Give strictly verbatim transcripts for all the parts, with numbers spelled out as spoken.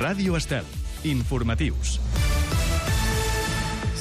Ràdio Estel. Informatius.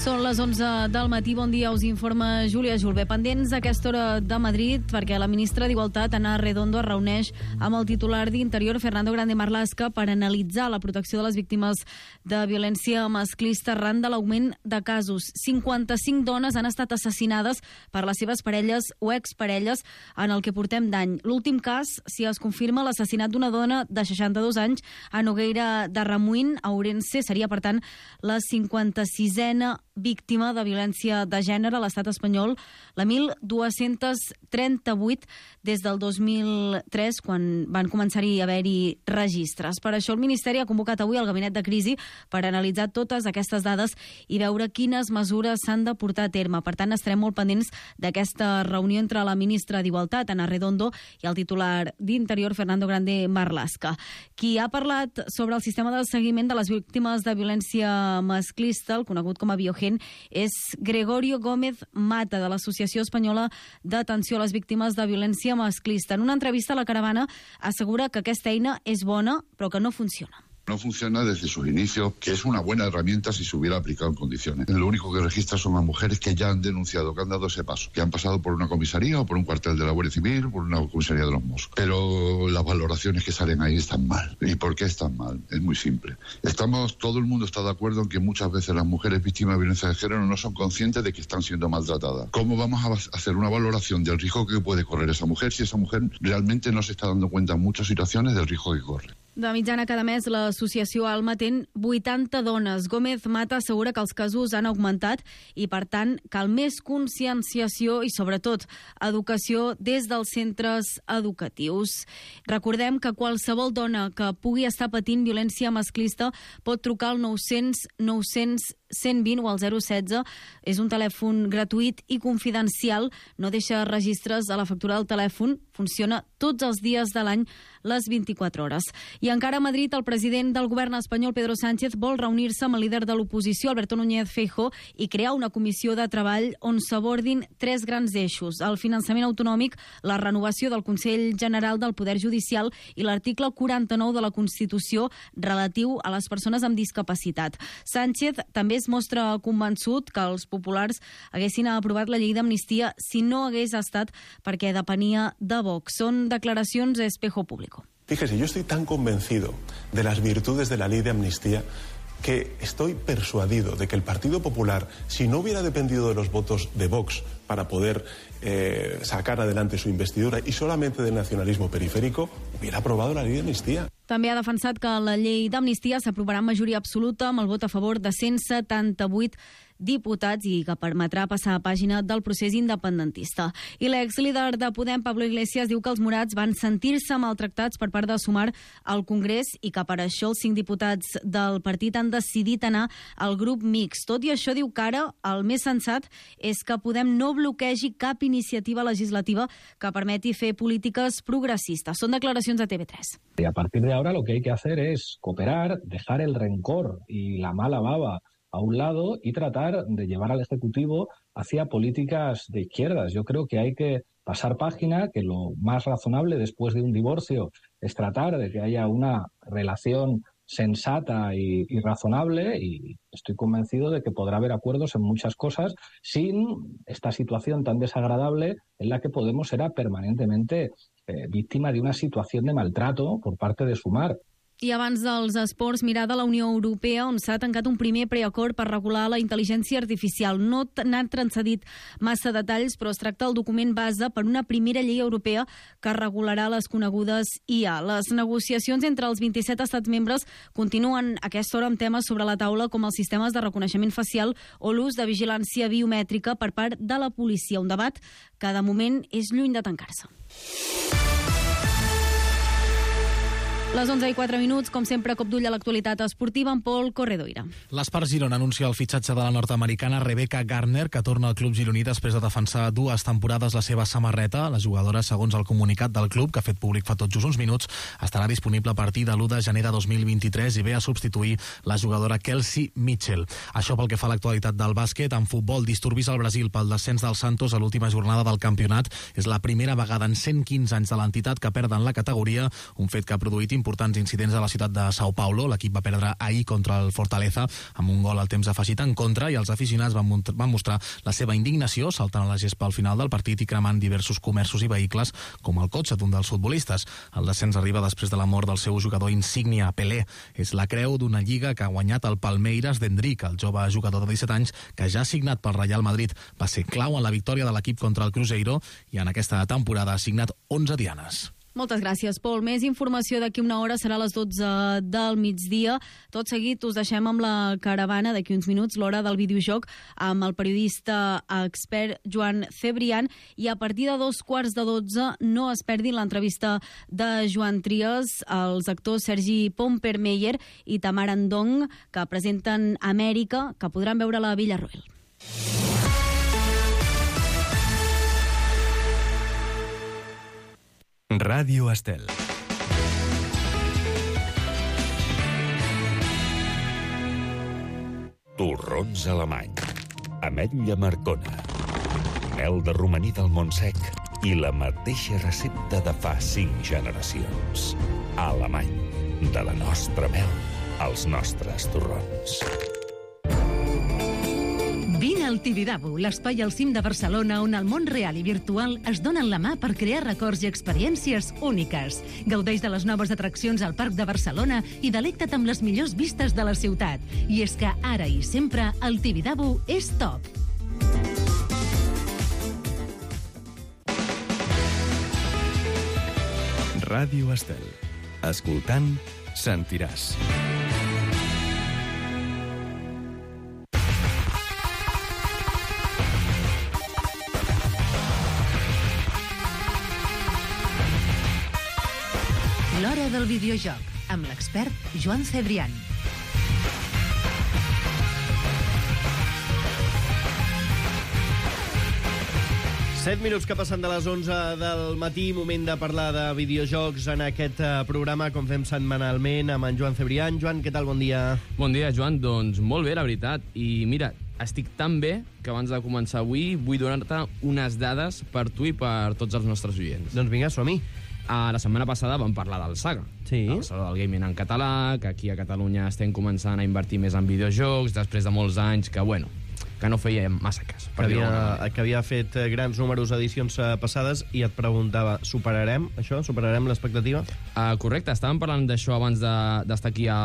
Són les onze del matí. Bon dia, us informa Júlia Julve. Pendents a aquesta hora de Madrid, perquè la ministra d'Igualtat, Ana Redondo, es reuneix amb el titular d'Interior, Fernando Grande Marlaska, per analitzar la protecció de les víctimes de violència masclista arran de l'augment de casos. cinquanta-cinc dones han estat assassinades per les seves parelles o exparelles en el que portem d'any. L'últim cas, si es confirma l'assassinat d'una dona de seixanta-dos anys a Nogueira de Remuín, a Ourense, seria, per tant, la cinquanta-sisena víctima de violència de gènere a l'estat espanyol, la mil dos-cents trenta-vuit des del dos mil tres, quan van començar-hi a haver-hi registres. Per això el Ministeri ha convocat avui el Gabinet de Crisi per analitzar totes aquestes dades i veure quines mesures s'han de portar a terme. Per tant, estarem molt pendents d'aquesta reunió entre la ministra d'Igualtat, Ana Redondo, i el titular d'Interior, Fernando Grande Marlaska. Qui ha parlat sobre el sistema de seguiment de les víctimes de violència masclista, el conegut com a Biogen, és Gregorio Gómez Mata, de l'Associació Espanyola d'Atenció a les Víctimes de Violència Masclista. En una entrevista a La Caravana assegura que aquesta eina és bona, però que no funciona. No funciona desde sus inicios, que es una buena herramienta si se hubiera aplicado en condiciones. Lo único que registra son las mujeres que ya han denunciado, que han dado ese paso, que han pasado por una comisaría o por un cuartel de la Guardia Civil, por una comisaría de los Mossos. Pero las valoraciones que salen ahí están mal. ¿Y por qué están mal? Es muy simple. Estamos, todo el mundo está de acuerdo en que muchas veces las mujeres víctimas de violencia de género no son conscientes de que están siendo maltratadas. ¿Cómo vamos a hacer una valoración del riesgo que puede correr esa mujer si esa mujer realmente no se está dando cuenta en muchas situaciones del riesgo que corre? De mitjana cada mes, l'associació Alma ten vuitanta dones. Gómez Mata assegura que els casos han augmentat i, per tant, cal més conscienciació i, sobretot, educació des dels centres educatius. Recordem que qualsevol dona que pugui estar patint violència masclista pot trucar al nou-cents nou-cents cent vint o al zero setze. És un telèfon gratuït i confidencial. No deixa registres a la factura del telèfon. Funciona tots els dies de l'any, les vint-i-quatre hores. I encara a Madrid, el president del govern espanyol, Pedro Sánchez, vol reunir-se amb el líder de l'oposició, Alberto Núñez Feijóo, i crear una comissió de treball on s'abordin tres grans eixos: el finançament autonòmic, la renovació del Consell General del Poder Judicial i l'article quaranta-nou de la Constitució relatiu a les persones amb discapacitat. Sánchez també es mostra convençut que els populars haguessin aprovat la llei d'amnistia si no hagués estat perquè depenia de Vox. Són declaracions a Espejo Público. Fíjese, yo estoy tan convencido de las virtudes de la ley de amnistía que estoy persuadido de que el Partido Popular, si no hubiera dependido de los votos de Vox para poder eh, sacar adelante su investidura y solamente del nacionalismo periférico, hubiera aprobado la ley de amnistía. També ha defensat que la llei d'amnistia s'aprovarà en majoria absoluta amb el vot a favor de cent setanta-vuit diputats i que permetrà passar a pàgina del procés independentista. I l'exlíder de Podem, Pablo Iglesias, diu que els morats van sentir-se maltractats per part de Sumar al Congrés i que per això els cinc diputats del partit han decidit anar al grup mixt. Tot i això, diu que ara el més sensat és que Podem no bloquegi cap iniciativa legislativa que permeti fer polítiques progressistes. Són declaracions a T V tres. Y a partir de ahora lo que hay que hacer es cooperar, dejar el rencor y la mala baba a un lado y tratar de llevar al Ejecutivo hacia políticas de izquierdas. Yo creo que hay que pasar página, que lo más razonable después de un divorcio es tratar de que haya una relación sensata y, y razonable, y estoy convencido de que podrá haber acuerdos en muchas cosas sin esta situación tan desagradable en la que Podemos era permanentemente eh, víctima de una situación de maltrato por parte de Sumar. I abans dels esports, mirar de la Unió Europea, on s'ha tancat un primer preacord per regular la intel·ligència artificial. No n'ha transcedit massa detalls, però es tracta del document base per una primera llei europea que regularà les conegudes I A. Les negociacions entre els vint-i-set estats membres continuen a aquesta hora amb temes sobre la taula com els sistemes de reconeixement facial o l'ús de vigilància biomètrica per part de la policia. Un debat que de moment és lluny de tancar-se. Les onze i quatre minuts, com sempre, cop d'ull a l'actualitat esportiva amb Pol Corredoira. L'Espart Girona anuncia el fitxatge de la nord-americana Rebecca Garner, que torna al club gironí després de defensar dues temporades la seva samarreta. La jugadora, segons el comunicat del club, que ha fet públic fa tot just uns minuts, estarà disponible a partir de l'u de gener de dos mil vint-i-tres i ve a substituir la jugadora Kelsey Mitchell. Això pel que fa a l'actualitat del bàsquet. En futbol, disturbis al Brasil pel descens del Santos a l'última jornada del campionat. És la primera vegada en cent quinze anys de l'entitat que perden la categoria, un fet que ha produït importants incidents a la ciutat de Sao Paulo. L'equip va perdre ahir contra el Fortaleza amb un gol al temps afegit en contra i els aficionats van, van mostrar la seva indignació saltant a la gespa al final del partit i cremant diversos comerços i vehicles com el cotxe d'un dels futbolistes. El descens arriba després de la mort del seu jugador insígnia, Pelé. És la creu d'una lliga que ha guanyat el Palmeiras d'Endrick, el jove jugador de disset anys que ja ha signat pel Real Madrid. Va ser clau en la victòria de l'equip contra el Cruzeiro i en aquesta temporada ha signat onze dianes. Moltes gràcies, Pol. Més informació d'aquí una hora, serà a les dotze del migdia. Tot seguit us deixem amb la caravana, d'aquí uns minuts, l'hora del videojoc, amb el periodista expert Joan Cebrián, i a partir de dos quarts de dotze no es perdin l'entrevista de Joan Trias, els actors Sergi Pompermeyer i Tamar Andong, que presenten Amèrica, que podran veure a la Villarroel. Ràdio Estel. Torrons alemany, ametlla marcona, mel de romaní del Montsec i la mateixa recepta de fa cinc generacions. Alemany, de la nostra mel als nostres torrons. Vine al Tibidabo, l'espai al cim de Barcelona on el món real i virtual es donen la mà per crear records i experiències úniques. Gaudeix de les noves atraccions al Parc de Barcelona i delecta't amb les millors vistes de la ciutat. I és que ara i sempre el Tibidabo és top. Ràdio Estel. Escoltant, sentiràs. L'hora del videojoc, amb l'expert Joan Cebrián. Set minuts que passen de les onze del matí, moment de parlar de videojocs en aquest programa, com fem setmanalment, amb en Joan Cebrián. Joan, què tal? Bon dia. Bon dia, Joan. Doncs molt bé, la veritat. I mira, estic tan bé que abans de començar avui vull donar-te unes dades per tu i per tots els nostres oients. Doncs vinga, som-hi. Uh, la setmana passada vam parlar del Saga. Sí. El Saló del Gaming en català, que aquí a Catalunya estem començant a invertir més en videojocs, després de molts anys que, bueno, que no feia massa cas. Que havia, que havia fet grans números edicions passades i et preguntava, superarem això? Superarem l'expectativa? Uh, correcte, estàvem parlant d'això abans d'estar de, aquí a,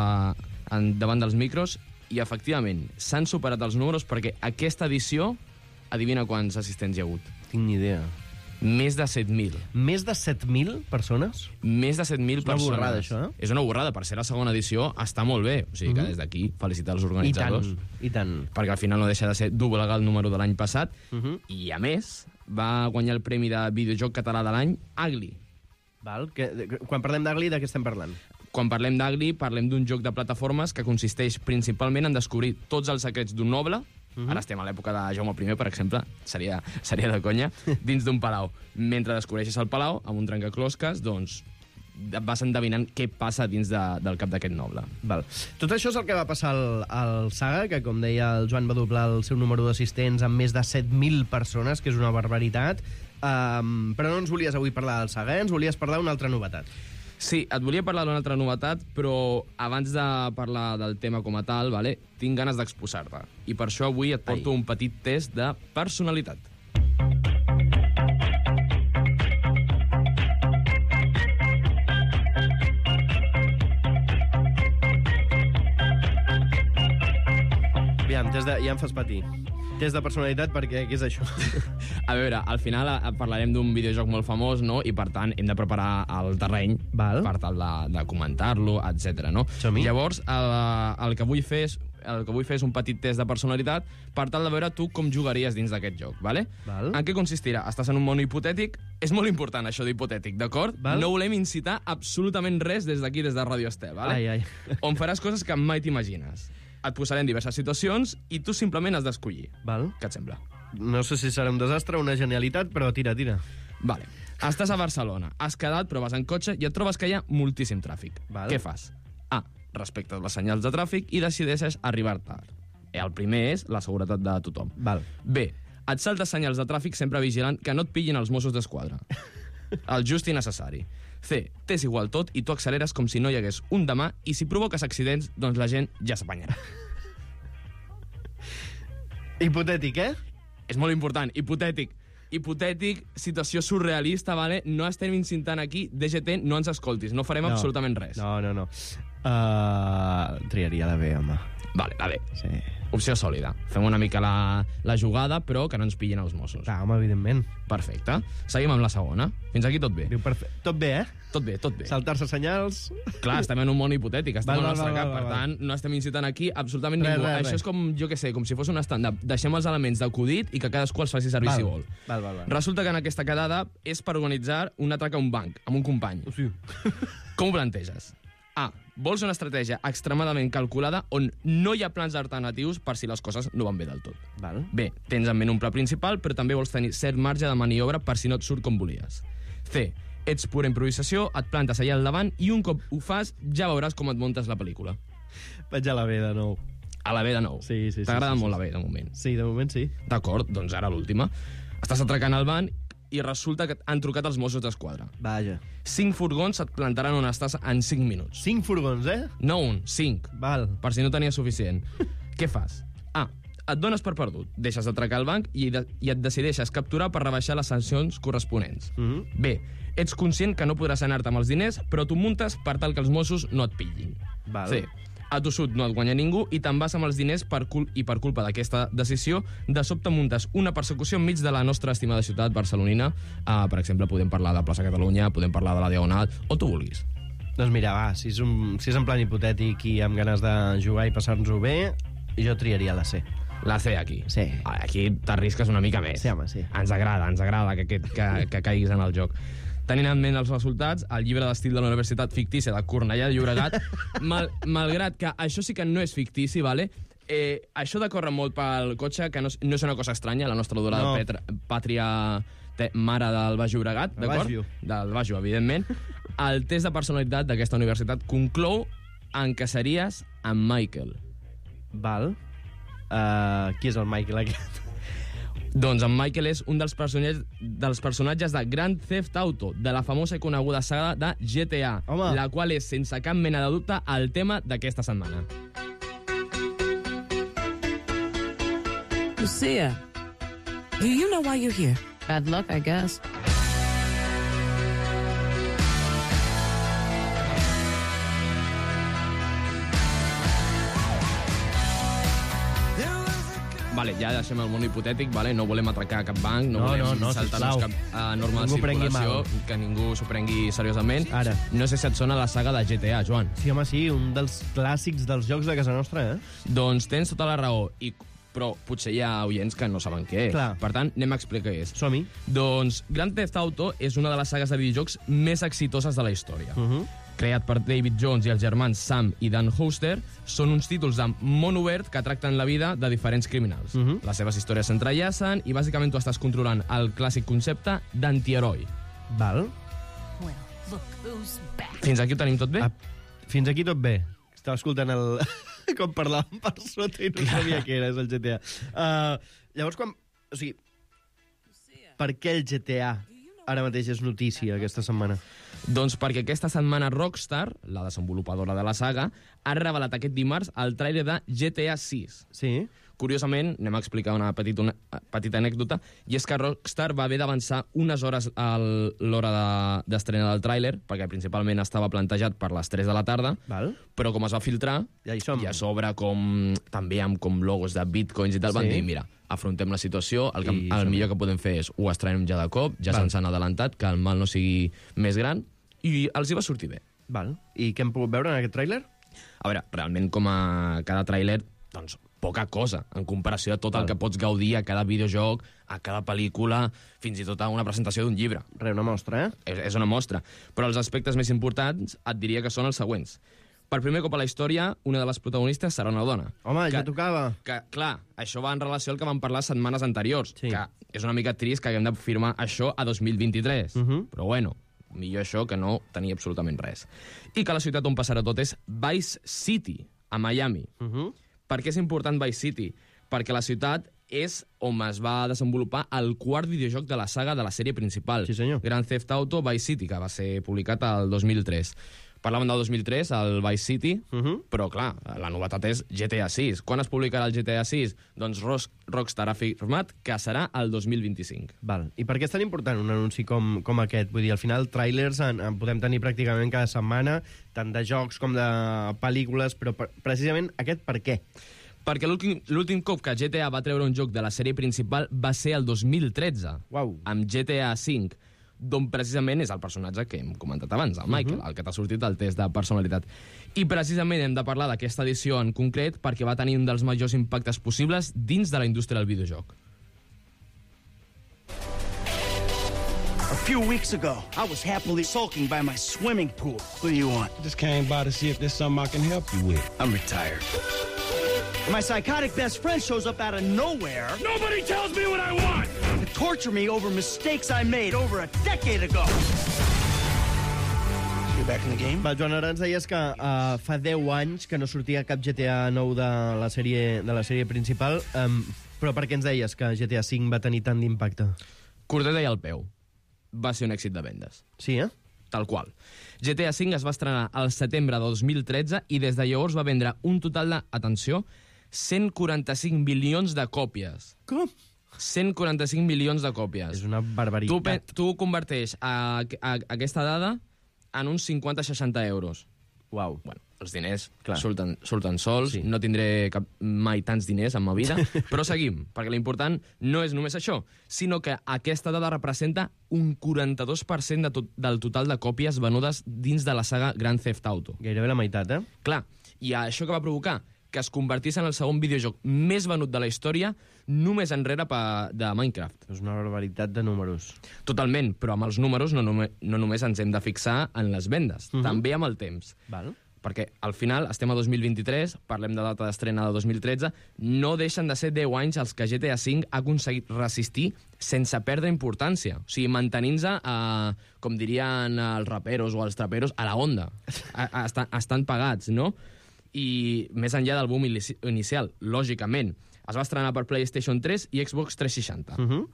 en, davant dels micros i, efectivament, s'han superat els números perquè aquesta edició, adivina quants assistents hi ha hagut. Tinc ni idea. Més de set mil. Més de set mil persones? Més de set mil persones. És una borrada, això, eh? És una borrada. Per ser la segona edició està molt bé. O sigui que des d'aquí felicitar els organitzadors. I tant, i tant. Perquè al final no deixa de ser doblegar el número de l'any passat. Uh -huh. I, a més, va guanyar el premi de videojoc català de l'any Agli. Val. Que, quan parlem d'Agli, de què estem parlant? Quan parlem d'Agli, parlem d'un joc de plataformes que consisteix principalment en descobrir tots els secrets d'un noble. Uh -huh. Ara estem a l'època de Jaume primer, per exemple, seria, seria de conya, dins d'un palau. Mentre descobreixes el palau, amb un trencaclosques, doncs vas endevinant què passa dins de, del cap d'aquest noble. Val. Tot això és el que va passar al, al Saga, que, com deia el Joan, va doblar el seu número d'assistents amb més de set mil persones, que és una barbaritat. Um, però no ens volies avui parlar del Saga, eh? Ens volies parlar d'una altra novetat. Sí, et volia parlar d'una altra novetat, però abans de parlar del tema com a tal, vale, tinc ganes d'exposar-te. I per això avui et porto Ai. un petit test de personalitat. Aviam, test de... ja em fas patir. Test de personalitat, perquè què és això? A veure, al final parlarem d'un videojoc molt famós, no? I per tant hem de preparar el terreny Val. per tal de, de comentar-lo, etcètera. No? Llavors, el, el, que vull fer és, el que vull fer és un petit test de personalitat per tal de veure tu com jugaries dins d'aquest joc, vale? Val. En què consistirà? Estàs en un món hipotètic. És molt important, això d'hipotètic, d'acord? No volem incitar absolutament res des d'aquí, des de Ràdio Estel, vale? Ai, ai. On faràs coses que mai t'imagines. Et posarem diverses situacions i tu simplement has d'escollir. Val. Què et sembla? No sé si serà un desastre o una genialitat, però tira, tira. Vale. Estàs a Barcelona, has quedat, però vas en cotxe i et trobes que hi ha moltíssim tràfic. Val. Què fas? A. Respectes les senyals de tràfic i decideixes arribar tard. El primer és la seguretat de tothom. Val. B. Et saltes senyals de tràfic sempre vigilant que no et pillin els Mossos d'Esquadra. El just i necessari. C. T'és igual tot i tu acceleres com si no hi hagués un demà i si provoques accidents, doncs la gent ja s'apanyarà. Hipotètic, eh? És molt important, hipotètic. Hipotètic, situació surrealista, vale? No estem incitant aquí, D G T, no ens escoltis, no farem No. absolutament res. No, no, no. Uh, triaria la B, home. Vale, la B. Sí. Opció sòlida. Fem una mica la, la jugada, però que no ens pillin els Mossos. Clar, home, evidentment. Perfecte. Seguim amb la segona. Fins aquí tot bé. Diu perfe... Tot bé, eh? Tot bé, tot bé. Saltar-se senyals... Clar, estem en un món hipotètic, estem Val, al val, nostre val, cap, val, per val. tant, no estem incitant aquí absolutament Res, ningú. res, Això res. és com, jo què sé, com si fos un stand-up. Deixem els elements d'acudit i que cadascú els faci servir Val. si vol. Val, val, val. Resulta que en aquesta quedada és per organitzar un atrac a un banc, amb un company. Sí. Com ho planteges? A. Vols una estratègia extremadament calculada on no hi ha plans alternatius per si les coses no van bé del tot. Val. B. Tens en ment un pla principal, però també vols tenir cert marge de maniobra per si no et surt com volies. C. Ets pura improvisació, et plantes allà al davant i un cop ho fas ja veuràs com et muntes la pel·lícula. Vaig a la B de nou. A la B de nou. Sí, sí, sí. T'agrada sí, sí, molt sí. la B, de moment. Sí, de moment sí. D'acord, doncs ara l'última. Estàs atracant al banc i resulta que han trucat els Mossos d'Esquadra. Vaja. Cinc furgons et plantaran on estàs en cinc minuts. Cinc furgons, eh? No un, cinc. Val. Per si no tenies suficient. Què fas? A. Et dones per perdut. Deixes d'atracar el banc i, de, i et decideixes capturar per rebaixar les sancions corresponents. Mm -hmm. B. Ets conscient que no podràs anar-te amb els diners, però tu muntes per tal que els Mossos no et pillin. Val. C. A tossut no et guanya ningú i te'n vas amb els diners per cul i per culpa d'aquesta decisió de sobte muntes una persecució enmig de la nostra estimada ciutat barcelonina. Uh, per exemple, podem parlar de Plaça Catalunya, podem parlar de la Diagonal, o tu vulguis. Doncs mira, va, si és, un, si és en plan hipotètic i amb ganes de jugar i passar-nos-ho bé, jo triaria la C. La C aquí. Sí. Aquí t'arrisques una mica més. Sí, home, sí. Ens agrada, ens agrada que, que, que, que caiguis en el joc. Tenint en ment els resultats, el llibre d'estil de la Universitat Fictícia de Cornellà de Llobregat, mal, malgrat que això sí que no és fictici, vale? eh, això de córrer molt pel cotxe, que no, és- no és una cosa estranya, la nostra adorada No. Petra, pàtria te, mare del Baix Llobregat, El d'acord? Baixo. Del Baixo, evidentment. El test de personalitat d'aquesta universitat conclou en que series en Michael. Val. Uh, qui és el Michael aquest? Doncs en Michael és un dels personatges, dels personatges de Grand Theft Auto, de la famosa i coneguda saga de G T A, Home. la qual és, sense cap mena de dubte, el tema d'aquesta setmana. Lucia, do you know why you're here? Bad luck, I guess. Vale, ja deixem el món hipotètic, vale? No volem atracar cap banc, no, No, volem no, no, saltar-nos sisplau. cap uh, norma de Ningú prengui circulació, mal. que ningú s'ho prengui seriosament. Ara. No sé si et sona la saga de G T A, Joan. Sí, home, sí, un dels clàssics dels jocs de casa nostra, eh? Doncs tens tota la raó, i, però potser hi ha oients que no saben què és. Clar. Per tant, anem a explicar què és. Som-hi. Doncs Grand Theft Auto és una de les sagues de videojocs més exitoses de la història. Uh -huh. Creat per David Jones i els germans Sam i Dan Hoster, són uns títols de món obert que tracten la vida de diferents criminals. Uh -huh. Les seves històries s'entrellacen i bàsicament tu estàs controlant el clàssic concepte d'antiheroi. Val. Well, look who's back. Fins aquí ho tenim tot bé? Ah, fins aquí tot bé. Estava escoltant el... com parlàvem per sota i no sabia què era, és el G T A. Uh, llavors, quan... O sigui, per què el G T A ara mateix és notícia aquesta setmana? Doncs perquè aquesta setmana Rockstar, la desenvolupadora de la saga, ha revelat aquest dimarts el tràiler de G T A sis. Sí? Curiosament, anem a explicar una petita, una petita anècdota, i és que Rockstar va haver d'avançar unes hores a l'hora d'estrena de, del tràiler, perquè principalment estava plantejat per les tres de la tarda, Val. però com es va filtrar, Ja hi som. i a sobre com, també amb com logos de bitcoins i tal, van Sí. dir, mira, afrontem la situació, el, que, I el som-hi. millor que podem fer és ho estrenem ja de cop, ja Val. se'ns han adelantat, que el mal no sigui més gran, i els hi va sortir bé. Val. I què hem pogut veure en aquest tràiler? A veure, realment com a cada tràiler, doncs poca cosa, en comparació a tot Val. el que pots gaudir a cada videojoc, a cada pel·lícula, fins i tot a una presentació d'un llibre. Re, una mostra, eh? És, és una mostra. Però els aspectes més importants et diria que són els següents. Per primer cop a la història, una de les protagonistes serà una dona. Home, que, ja tocava. Que, clar, això va en relació al que vam parlar setmanes anteriors, Sí. que és una mica trist que haguem de firmar això a dos mil vint-i-tres. Uh -huh. Però bueno, millor això que no tenir absolutament res. I que la ciutat on passarà tot és Vice City, a Miami. Uh -huh. Per què és important Vice City? Perquè la ciutat és on es va desenvolupar el quart videojoc de la saga de la sèrie principal. Sí, senyor. Grand Theft Auto Vice City, que va ser publicat el dos mil tres. Parlàvem del dos mil tres, el Vice City, uh -huh. però, clar, la novetat és G T A sis. Quan es publicarà el G T A sis? Doncs Rockstar ha afirmat que serà el dos mil vint-i-cinc. Val. I per què és tan important un anunci com, com aquest? Vull dir, al final, trailers en, en podem tenir pràcticament cada setmana, tant de jocs com de pel·lícules, però per, precisament aquest per què? Perquè l'últim cop que G T A va treure un joc de la sèrie principal va ser el dos mil tretze, Uau. amb G T A cinc, d'on precisament és el personatge que hem comentat abans, el Michael, uh -huh. el que t'ha sortit del test de personalitat. I precisament hem de parlar d'aquesta edició en concret perquè va tenir un dels majors impactes possibles dins de la indústria del videojoc. A few weeks ago, I was happily sulking by my swimming pool. What do you want? Just came by to see if there's something I can help you with. I'm retired. My psychotic best friend shows up out of nowhere. Nobody tells me what I want! To torture me over mistakes I made over a decade ago. You back in the game? Va, Joan, ara ens deies que uh, fa deu anys que no sortia cap G T A nou de la sèrie, de la sèrie principal, um, però per què ens deies que G T A cinc va tenir tant d'impacte? Corder deia al peu. Va ser un èxit de vendes. Sí, eh? Tal qual. G T A cinc es va estrenar al setembre de dos mil tretze i des de llavors va vendre un total de, atenció, cent quaranta-cinc milions de còpies. Com? cent quaranta-cinc milions de còpies. És una barbaritat. Tu, tu converteix a, a, a aquesta dada en uns cinquanta a seixanta euros. Uau. Bueno, els diners surten, surten sols, sí. No tindré cap, mai tants diners en ma vida, però seguim, perquè l'important no és només això, sinó que aquesta dada representa un quaranta-dos per cent de tot, del total de còpies venudes dins de la saga Grand Theft Auto. Gairebé la meitat, eh? Clar, i això que va provocar? Que es convertís en el segon videojoc més venut de la història, només enrere pa, de Minecraft. És una barbaritat de números. Totalment, però amb els números no, només, no només ens hem de fixar en les vendes, uh -huh. també amb el temps. Val. Perquè al final estem a dos mil vint-i-tres, parlem de data d'estrena de dos mil tretze, no deixen de ser deu anys els que G T A cinc ha aconseguit resistir sense perdre importància. O sigui, mantenint-se, eh, com dirien els raperos o els traperos, a la onda. A, a, estan, estan pagats, no? I més enllà del boom inicial, lògicament, es va estrenar per PlayStation tres i Xbox tres seixanta. Uh -huh.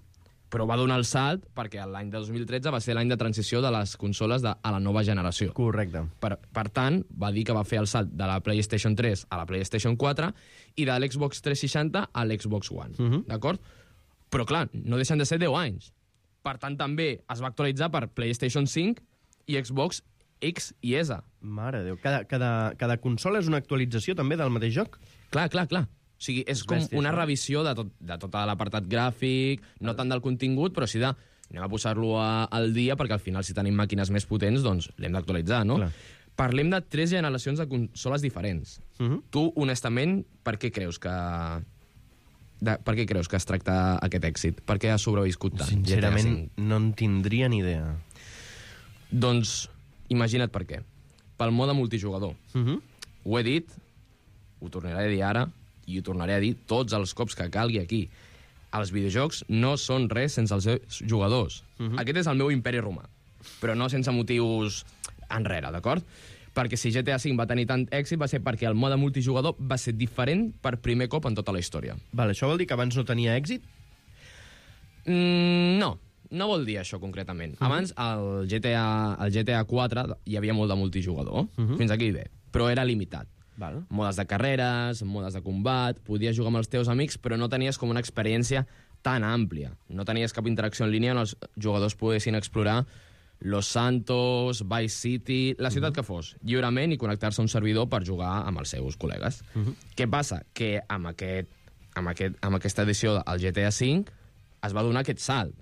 Però va donar el salt perquè l'any de dos mil tretze va ser l'any de transició de les consoles de, a la nova generació. Correcte. Per, per tant, va dir que va fer el salt de la PlayStation tres a la PlayStation quatre i de l'Xbox tres seixanta a l'Xbox One. Uh -huh. D'acord? Però, clar, no deixen de ser deu anys. Per tant, també es va actualitzar per PlayStation cinc i Xbox X i S. Mare de Déu. Cada, cada, cada consola és una actualització també del mateix joc? Clar, clar, clar. O sigui, és, és com bèstia, una revisió de tot, de tot l'apartat gràfic, no tant del contingut, però sí de... Anem a posar-lo al dia, perquè al final, si tenim màquines més potents, doncs l'hem d'actualitzar, no? Clar. Parlem de tres generacions de consoles diferents. Uh -huh. Tu, honestament, per què creus que... De, per què creus que es tracta aquest èxit? Per què ha sobreviscut tant? Sincerament, no en tindria ni idea. Doncs, imagina't per què. Pel mode multijugador. Uh -huh. Ho he dit, ho tornaré a dir ara, i ho tornaré a dir tots els cops que calgui aquí. Els videojocs no són res sense els seus jugadors. Uh -huh. Aquest és el meu imperi romà, però no sense motius enrere, d'acord? Perquè si G T A cinc va tenir tant èxit va ser perquè el mode multijugador va ser diferent per primer cop en tota la història. Vale, això vol dir que abans no tenia èxit? Mm, no, no vol dir això concretament. Uh -huh. Abans, al G T A, al G T A quatre hi havia molt de multijugador, uh -huh. fins aquí bé, però era limitat. Val. Modes de carreres, modes de combat, podies jugar amb els teus amics, però no tenies com una experiència tan àmplia. No tenies cap interacció en línia on els jugadors poguessin explorar Los Santos, Vice City, la ciutat uh -huh. que fos, lliurement i connectar-se a un servidor per jugar amb els seus col·legues. Uh -huh. Què passa? Que amb, aquest, amb, aquest, amb aquesta edició del G T A cinc es va donar aquest salt.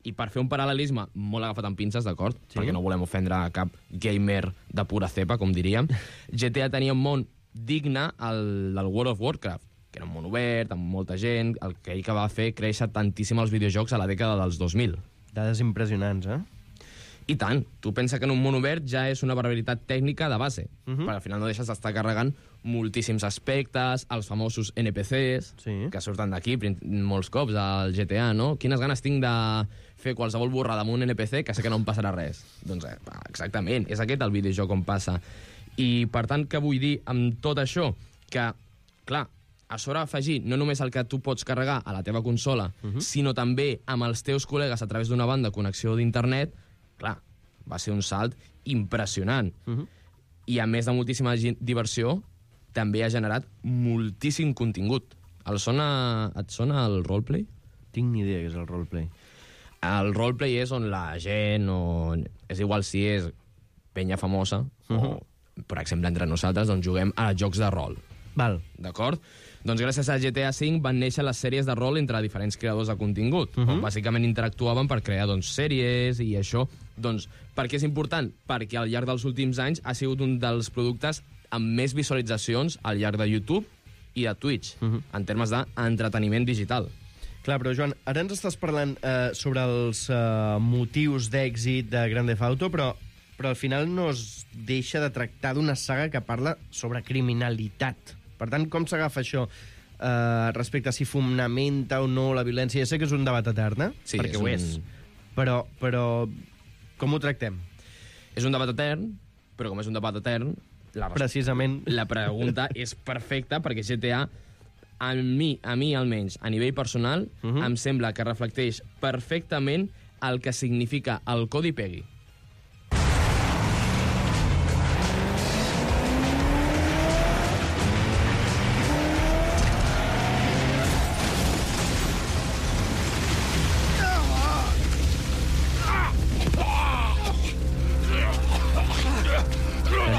I per fer un paral·lelisme molt agafat amb pinces, d'acord? Sí? Perquè no volem ofendre a cap gamer de pura cepa, com diríem. G T A tenia un món digne al, del World of Warcraft, que era un món obert, amb molta gent, el que ell que va fer créixer tantíssim els videojocs a la dècada dels dos mil. Dades impressionants, eh? I tant. Tu pensa que en un món obert ja és una barbaritat tècnica de base, uh -huh. perquè al final no deixes d'estar carregant moltíssims aspectes, els famosos N P Cs, sí. que surten d'aquí molts cops al G T A, no? Quines ganes tinc de fer qualsevol borrada amb un N P C que sé que no em passarà res. Doncs eh, exactament, és aquest el videojoc on passa. I per tant, què vull dir amb tot això? Que, clar, a sobre afegir no només el que tu pots carregar a la teva consola, uh-huh. sinó també amb els teus col·legues a través d'una banda de connexió d'internet, clar, va ser un salt impressionant. Uh-huh. I a més de moltíssima diversió, també ha generat moltíssim contingut. El sona, et sona el roleplay? Tinc ni idea què és el roleplay. El roleplay és on la gent, o és igual si és penya famosa, uh-huh. o, per exemple, entre nosaltres, doncs juguem a jocs de rol. Val. D'acord? Doncs gràcies a G T A cinc van néixer les sèries de rol entre diferents creadors de contingut. Uh-huh. On bàsicament interactuaven per crear doncs, sèries i això. Doncs, per què és important? Perquè al llarg dels últims anys ha sigut un dels productes amb més visualitzacions al llarg de YouTube i de Twitch, uh-huh. en termes d'entreteniment digital. Clar, però Joan, ara ens estàs parlant eh, sobre els eh, motius d'èxit de Grand Theft Auto, però, però al final no es deixa de tractar d'una saga que parla sobre criminalitat. Per tant, com s'agafa això eh, respecte a si fonamenta o no la violència? Ja sé que és un debat etern, eh? Sí, perquè és ho un... és. Però, però com ho tractem? És un debat etern, però com és un debat etern, la, precisament la pregunta és perfecta, perquè G T A, a mi, a mi almenys, a nivell personal, uh-huh. em sembla que reflecteix perfectament el que significa el Codi Peggy.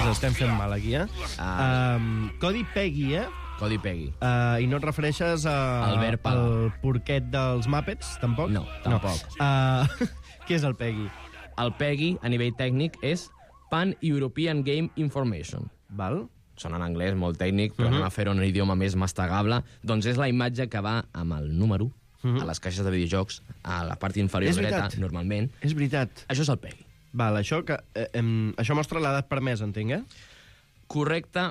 Estem fent mal aquí, eh? Ah. Um, Codi Peggy, eh? Codi Peggy. Uh, I no et refereixes a... Albert Pala. Al porquet dels Muppets, tampoc? No, tampoc. No. Uh, què és el Peggy? El Peggy, a nivell tècnic, és Pan-European Game Information. Val. Sona en anglès, molt tècnic, però uh-huh. anem a fer-ho en un idioma més mastegable. Doncs és la imatge que va amb el número uh-huh. a les caixes de videojocs, a la part inferior dreta, normalment. És veritat. Això és el Peggy. Val, això, que, eh, em, això mostra l'edat permesa, entenc, eh? Correcte,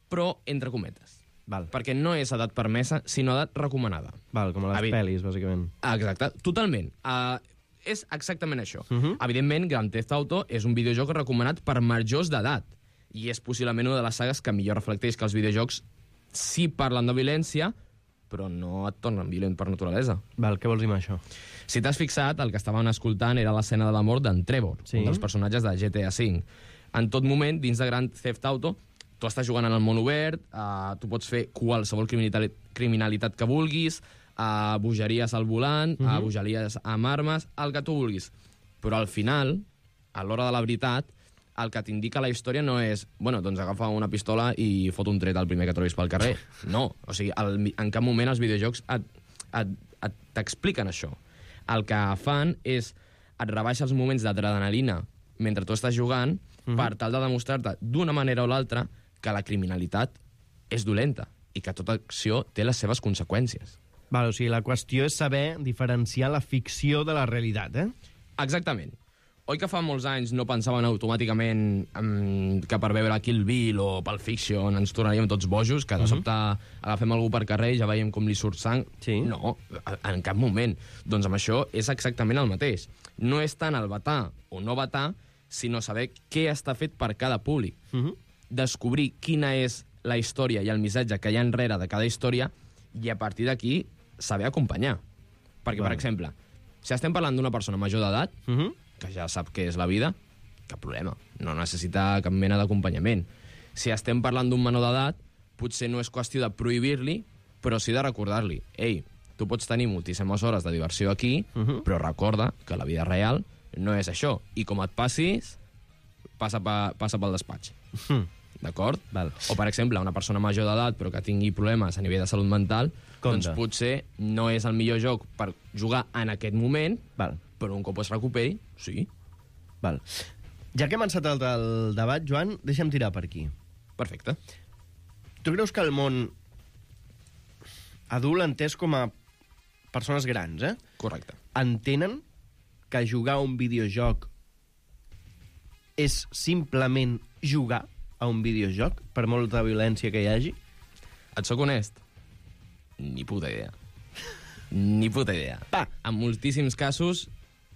però entre cometes. Val. Perquè no és edat permesa, sinó edat recomanada. Val, com a les Evi... pel·lis, bàsicament. Exacte, totalment. Uh, és exactament això. Uh -huh. Evidentment, Grand Theft Auto és un videojoc recomanat per majors d'edat, i és possiblement una de les sagues que millor reflecteix que els videojocs sí parlen de violència, però no et tornen violent per naturalesa. Val, què vols dir amb això? Si t'has fixat, el que estaven escoltant era l'escena de la mort d'en Trevor, sí. un dels personatges de G T A cinc. En tot moment, dins de Grand Theft Auto, tu estàs jugant en el món obert, uh, tu pots fer qualsevol criminalitat, criminalitat que vulguis, uh, bogeries al volant, uh -huh. uh, bogeries amb armes, el que tu vulguis. Però al final, a l'hora de la veritat, el que t'indica la història no és, bueno, doncs agafa una pistola i fot un tret al primer que trobis pel carrer. No, o sigui, el, en cap moment els videojocs et, et, et, t'expliquen això. El que fan és et rebaixa els moments d'adrenalina mentre tu estàs jugant uh-huh. per tal de demostrar-te d'una manera o l'altra que la criminalitat és dolenta i que tota acció té les seves conseqüències. Val, o sigui, la qüestió és saber diferenciar la ficció de la realitat, eh? Exactament. Oi que fa molts anys no pensaven automàticament um, que per veure Kill Bill o Pulp Fiction ens tornaríem tots bojos, que de sobte uh-huh. agafem algú per carrer i ja veiem com li surt sang? Sí. No, en cap moment. Doncs amb això és exactament el mateix. No és tant el vetar o no vetar, sinó saber què està fet per cada públic. Uh-huh. Descobrir quina és la història i el missatge que hi ha enrere de cada història i a partir d'aquí saber acompanyar. Perquè, Val. per exemple, si estem parlant d'una persona major d'edat, uh-huh. que ja sap què és la vida, cap problema. No necessita cap mena d'acompanyament. Si estem parlant d'un menor d'edat, potser no és qüestió de prohibir-li, però sí de recordar-li. Ei, tu pots tenir moltíssimes hores de diversió aquí, uh-huh. però recorda que la vida real no és això. I com et passis, passa, pa, passa pel despatx. Uh-huh. D'acord? Val. O, per exemple, una persona major d'edat però que tingui problemes a nivell de salut mental, Compte. doncs potser no és el millor joc per jugar en aquest moment, Val. però un cop es recuperi, sí. Val. Ja que hem encetat el debat, Joan, deixa'm tirar per aquí. Perfecte. Tu creus que el món adult, entès com a persones grans, eh? Correcte. Entenen que jugar a un videojoc és simplement jugar a un videojoc, per molta violència que hi hagi? Et soc honest? Ni puta idea. Ni puta idea. Pa. En moltíssims casos,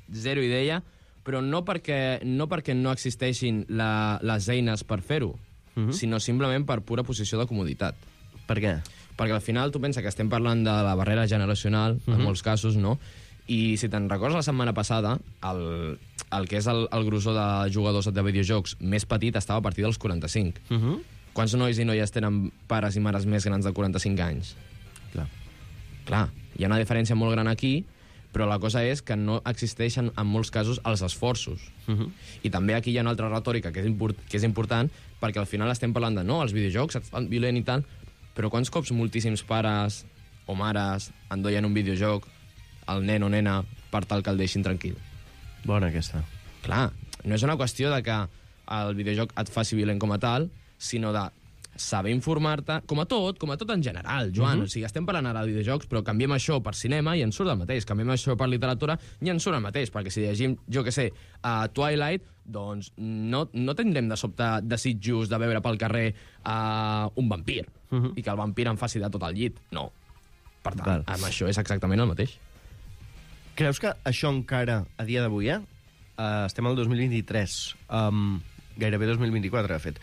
zero idea, però no perquè no, perquè no existeixin la, les eines per fer-ho, uh-huh. sinó simplement per pura posició de comoditat. Per què? Perquè al final tu pensa que estem parlant de la barrera generacional, en Mhm. molts casos, no? I si te'n recordes la setmana passada, el, el que és el, el grossor de jugadors de videojocs més petit estava a partir dels quaranta-cinc. Uh -huh. Quants nois i noies tenen pares i mares més grans de quaranta-cinc anys? Clar. Clar, hi ha una diferència molt gran aquí, però la cosa és que no existeixen en molts casos els esforços. Uh -huh. I també aquí hi ha una altra retòrica que és, import, que és important, perquè al final estem parlant de no, els videojocs et fan violent i tal, però quants cops moltíssims pares o mares endoien un videojoc al nen o nena per tal que el deixin tranquil? Bona aquesta. Clar, no és una qüestió de que el videojoc et faci violent com a tal, sinó de saber informar-te, com a tot, com a tot en general, Joan. Uh -huh. O sigui, estem parlant ara de videojocs, però canviem això per cinema i ens surt el mateix. Canviem això per literatura i ens surt el mateix. Perquè si llegim, jo què sé, a Twilight, doncs no, no tindrem de sobte desitjos de veure pel carrer uh, un vampir uh -huh. i que el vampir em faci de tot el llit. No. Per tant, Val. amb això és exactament el mateix. Creus que això encara, a dia d'avui, eh? Uh, estem al dos mil vint-i-tres, um, gairebé dos mil vint-i-quatre, de fet.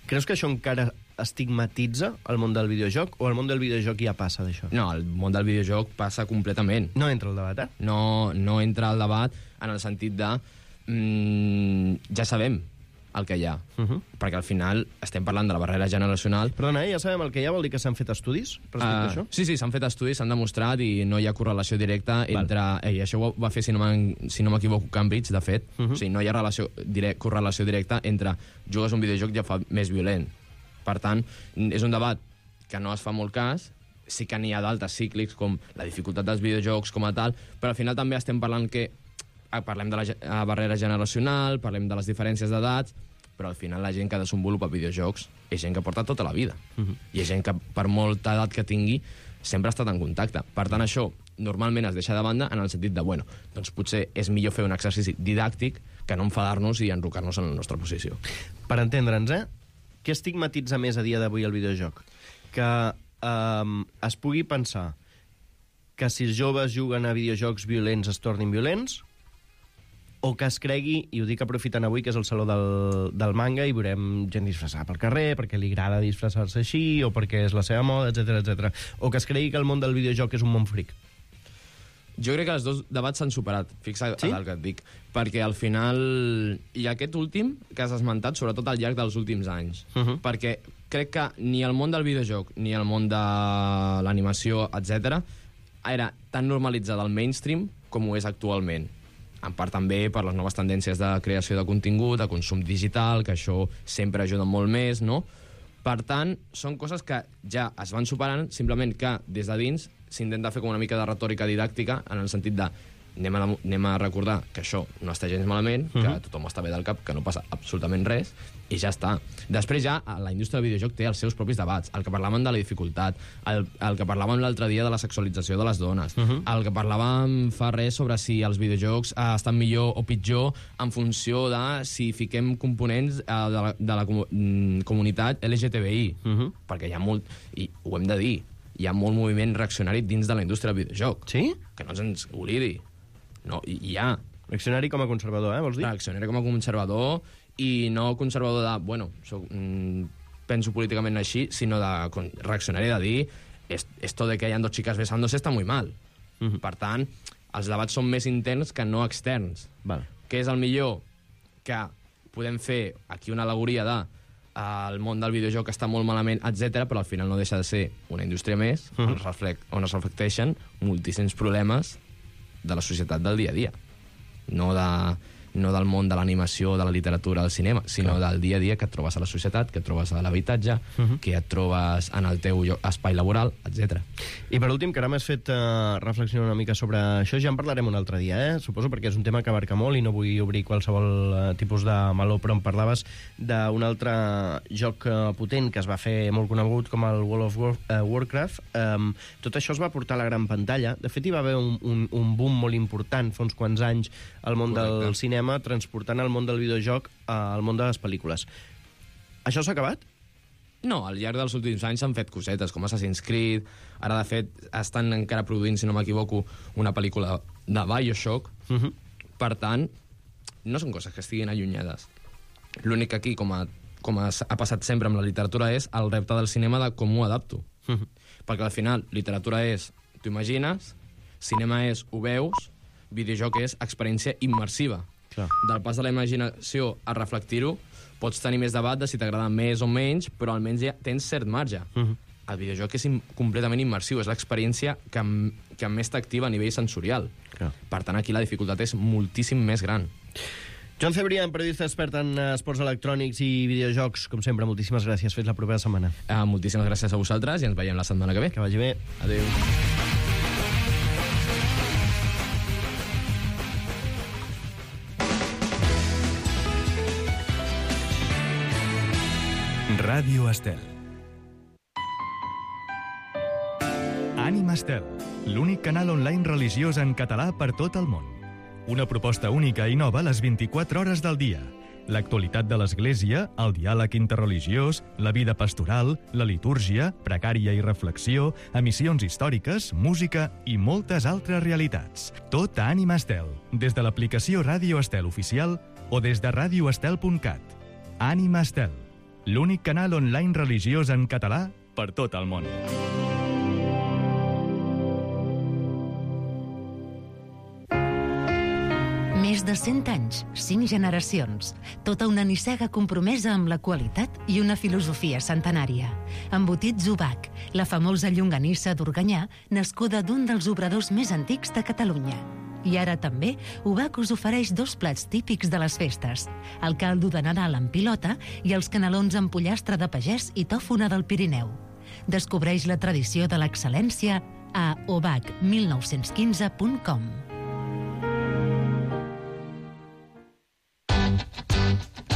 Creus que això encara estigmatitza el món del videojoc o el món del videojoc ja passa d'això? No, el món del videojoc passa completament. No entra al debat, eh? No, no entra al debat en el sentit de... Mm, ja sabem el que hi ha. Uh -huh. Perquè al final estem parlant de la barrera generacional. Perdona, eh? Ja sabem el que hi ha, vol dir que s'han fet estudis respecte uh, a això? Sí, sí, s'han fet estudis, s'han demostrat i no hi ha correlació directa entre... Val. I això ho va fer, si no, si no m'equivoco, Cambridge, de fet. Uh -huh. O sigui, no hi ha relació, direct, correlació directa entre jugues un videojoc i ja fa més violent. Per tant, és un debat que no es fa molt cas, sí que n'hi ha d'altres cíclics, com la dificultat dels videojocs com a tal, però al final també estem parlant que parlem de la barrera generacional, parlem de les diferències d'edats, però al final la gent que desenvolupa videojocs és gent que porta tota la vida. Uh-huh. I és gent que, per molta edat que tingui, sempre ha estat en contacte. Per tant, això normalment es deixa de banda en el sentit de, bueno, doncs potser és millor fer un exercici didàctic que no enfadar-nos i enrocar-nos en la nostra posició. Per entendre'ns, eh? Què estigmatitza més a dia d'avui el videojoc? Que eh, es pugui pensar que si els joves juguen a videojocs violents es tornin violents, o que es cregui, i ho dic aprofitant avui, que és el saló del, del manga, i veurem gent disfressada pel carrer, perquè li agrada disfressar-se així, o perquè és la seva moda, etcètera, etcètera. O que es cregui que el món del videojoc és un món fric. Jo crec que els dos debats s'han superat, fixa't sí? el que et dic, perquè al final hi ha aquest últim que has esmentat, sobretot al llarg dels últims anys, uh -huh. perquè crec que ni el món del videojoc ni el món de l'animació, etcètera, era tan normalitzat al mainstream com ho és actualment. En part també per les noves tendències de creació de contingut, de consum digital, que això sempre ajuda molt més, no? Per tant, són coses que ja es van superant, simplement que des de dins s'intenta fer com una mica de retòrica didàctica, en el sentit de anem a, anem a recordar que això no està gens malament, uh -huh. que tothom està bé del cap, que no passa absolutament res, i ja està. Després ja la indústria del videojoc té els seus propis debats, el que parlàvem de la dificultat, el, el que parlàvem l'altre dia de la sexualització de les dones, uh -huh. el que parlàvem fa res sobre si els videojocs eh, estan millor o pitjor en funció de si fiquem components eh, de la, de la com comunitat L G T B I, uh -huh. perquè hi ha molt, i ho hem de dir, hi ha molt moviment reaccionari dins de la indústria del videojoc. Sí? Que no ens oblidi. No, hi, hi ha. Reaccionari com a conservador, eh, vols dir? Reaccionari com a conservador, i no conservador de, bueno, soc, mm, penso políticament així, sinó de con, reaccionari de dir es, esto de que hayan dos chicas besándose está muy mal. Uh -huh. Per tant, els debats són més interns que no externs. Val. Què és el millor? Que podem fer aquí una alegoria de el món del videojoc està molt malament, etcètera, però al final no deixa de ser una indústria més uh -huh. on, es reflect, on es reflecteixen moltíssims problemes de la societat del dia a dia. No, de, no del món de l'animació, de la literatura, del cinema, sinó Clar. del dia a dia que et trobes a la societat, que et trobes a l'habitatge, uh -huh. que et trobes en el teu espai laboral, etcètera. I per últim, que ara m'has fet uh, reflexionar una mica sobre això, ja en parlarem un altre dia, eh? Suposo, perquè és un tema que abarca molt i no vull obrir qualsevol uh, tipus de meló, però em parlaves d'un altre joc uh, potent que es va fer molt conegut com el World of War, uh, Warcraft. Um, tot això es va portar a la gran pantalla. De fet, hi va haver un, un, un boom molt important fa uns quants anys al món Correcte. del cinema, transportant el món del videojoc al món de les pel·lícules. Això s'ha acabat? No, al llarg dels últims anys s'han fet cosetes, com Assassin's Creed. Ara, de fet, estan encara produint, si no m'equivoco, una pel·lícula de Bioshock. Uh -huh. Per tant, no són coses que estiguin allunyades. L'únic que aquí, com, a, com a, ha passat sempre amb la literatura, és el repte del cinema de com ho adapto. Uh -huh. Perquè al final, literatura és, t'ho imagines, cinema és, ho veus, videojoc és experiència immersiva. Clar. Del pas de la imaginació a reflectir-ho, pots tenir més debat de si t'agrada més o menys, però almenys ja tens cert marge. Uh-huh. El videojoc és im completament immersiu, és l'experiència que, que més t'activa a nivell sensorial. Clar. Per tant, aquí la dificultat és moltíssim més gran. Joan Cebrián, periodista expert en esports electrònics i videojocs, com sempre, moltíssimes gràcies. Fins la propera setmana. Uh, moltíssimes gràcies a vosaltres i ens veiem la setmana que ve. Que vagi bé. Adéu. Ràdio Estel. Ànima Estel, l'únic canal online religiós en català per tot el món. Una proposta única i nova a les vint-i-quatre hores del dia. L'actualitat de l'Església, el diàleg interreligiós, la vida pastoral, la litúrgia, pregària i reflexió, emissions històriques, música i moltes altres realitats. Tot a Ànima Estel, des de l'aplicació Ràdio Estel oficial o des de radio estel punt cat. Ànima Estel, l'únic canal online religiós en català per tot el món. Més de cent anys, cinc generacions, tota una nissaga compromesa amb la qualitat i una filosofia centenària. Embotits Ubac, la famosa llonganissa d'Organyà, nascuda d'un dels obradors més antics de Catalunya. I ara també, Ubac us ofereix dos plats típics de les festes, el caldo de Nadal amb pilota i els canelons amb pollastre de pagès i tòfona del Pirineu. Descobreix la tradició de l'excel·lència a ubac mil nou-cents quinze punt com.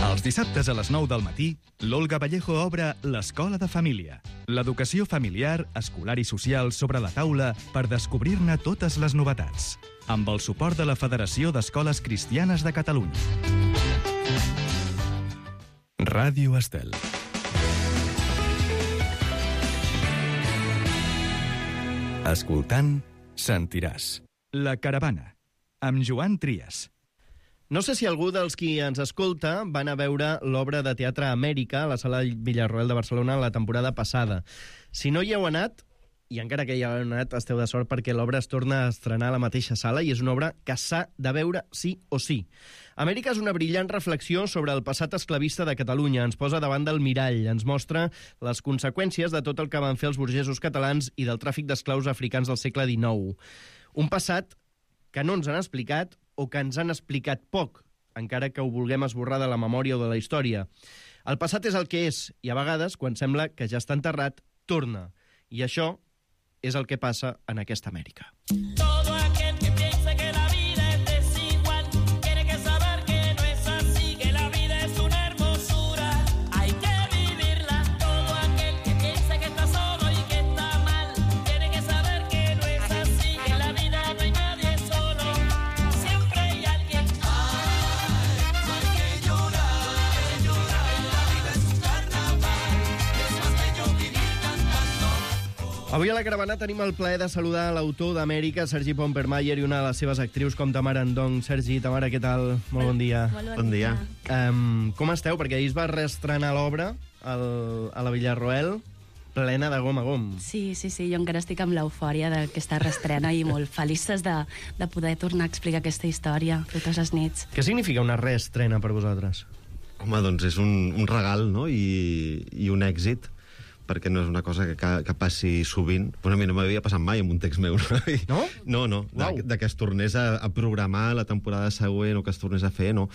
Els dissabtes a les nou del matí, l'Olga Vallejo obre l'Escola de Família. L'educació familiar, escolar i social sobre la taula per descobrir-ne totes les novetats. Amb el suport de la Federació d'Escoles Cristianes de Catalunya. Ràdio Estel. Escoltant, sentiràs. La Caravana, amb Joan Trias. No sé si algú dels qui ens escolta van a veure l'obra de teatre Amèrica a la Sala Villarroel de Barcelona la temporada passada. Si no hi heu anat, i encara que hi heu anat, esteu de sort perquè l'obra es torna a estrenar a la mateixa sala i és una obra que s'ha de veure sí o sí. Amèrica és una brillant reflexió sobre el passat esclavista de Catalunya. Ens posa davant del mirall, ens mostra les conseqüències de tot el que van fer els burgesos catalans i del tràfic d'esclaus africans del segle dinou. Un passat que no ens han explicat o que ens han explicat poc, encara que ho vulguem esborrar de la memòria o de la història. El passat és el que és, i a vegades, quan sembla que ja està enterrat, torna. I això és el que passa en aquesta Amèrica. Todo aquel que piensa que la vida es desigual tiene que saber que no es así, que la vida es una hermosura, hay que vivirla. Todo aquel que piensa que está solo y que está mal tiene que saber que no es así, que en la vida no hay nadie solo, siempre hay alguien. Ay, no hay que llorar, llorar, la vida es un carnaval, es más bello vivir cantando. Avui a la Caravana tenim el plaer de saludar l'autor d'Amèrica, Sergi Pompermayer, i una de les seves actrius com Tamara Ndong. Sergi, Tamara, què tal? Molt bon dia. Molt bon, bon dia. Um, com esteu? Perquè ahir es va reestrenar l'obra al, a la Villarroel, plena de gom a gom. Sí, sí, sí, jo encara estic amb l'eufòria d'aquesta reestrena i molt felices de, de poder tornar a explicar aquesta història totes les nits. Què significa una reestrena per vosaltres? Home, doncs és un, un regal, no?, I, i un èxit, perquè no és una cosa que, que, que passi sovint. Pues a mi no m'havia passat mai amb un text meu. No? No, no, de, de que es tornés a, a programar la temporada següent o que es tornés a fer, no.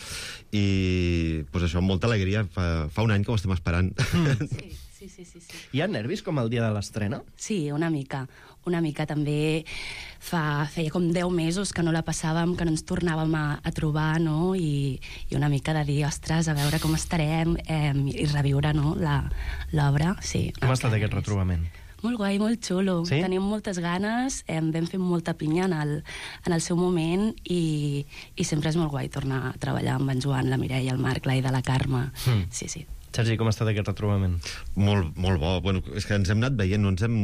I pues això, amb molta alegria, fa, fa un any que ho estem esperant. Mm. Sí. Sí, sí, sí, sí. Hi ha nervis com el dia de l'estrena? Sí, una mica. Una mica també fa, feia com deu mesos que no la passàvem, que no ens tornàvem a, a trobar, no? I, i una mica de dir, ostres, a veure com estarem eh, i reviure, no?, l'obra. Sí. Com ha estat aquest retrobament? Molt guai, molt xulo. Sí? Tenim moltes ganes, eh, vam fer molta pinya en el, en el seu moment i, i sempre és molt guai tornar a treballar amb en Joan, la Mireia, el Marc, l'Aida, la Carme. Mm. Sí, sí. Sergi, com ha estat aquest retrobament? Molt, molt bo. Bueno, és que ens hem anat veient, no ens hem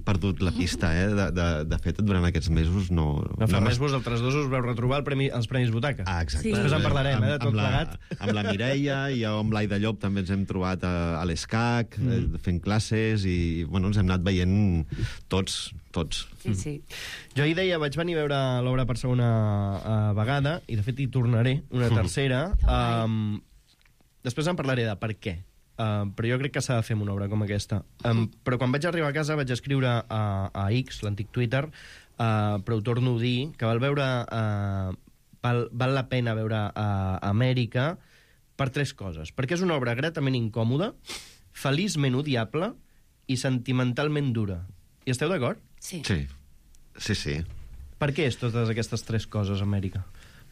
perdut la pista, eh? De, de, de fet, durant aquests mesos no... No fa no més, vosaltres dos us veu retrobar el premi, els Premis Butaca. Ah, exacte. Sí. Després en parlarem, eh, de tot amb la, plegat. Amb la Mireia i amb l'Aida Llop també ens hem trobat a, a l'ESCAC, mm. eh, fent classes, i bueno, ens hem anat veient tots, tots. Sí, sí. Jo ahir deia, vaig venir a veure l'obra per segona uh, vegada, i de fet hi tornaré una tercera. Um, després en parlaré de per què. Uh, però jo crec que s'ha de fer una obra com aquesta. Um, però quan vaig arribar a casa vaig escriure a, a X, l'antic Twitter, uh, però ho torno a dir, que val veure... Uh, val, val la pena veure uh, Amèrica per tres coses. Perquè és una obra gratament incòmoda, feliçment odiable i sentimentalment dura. Hi esteu d'acord? Sí. Sí, sí, sí. Per què és totes aquestes tres coses, Amèrica?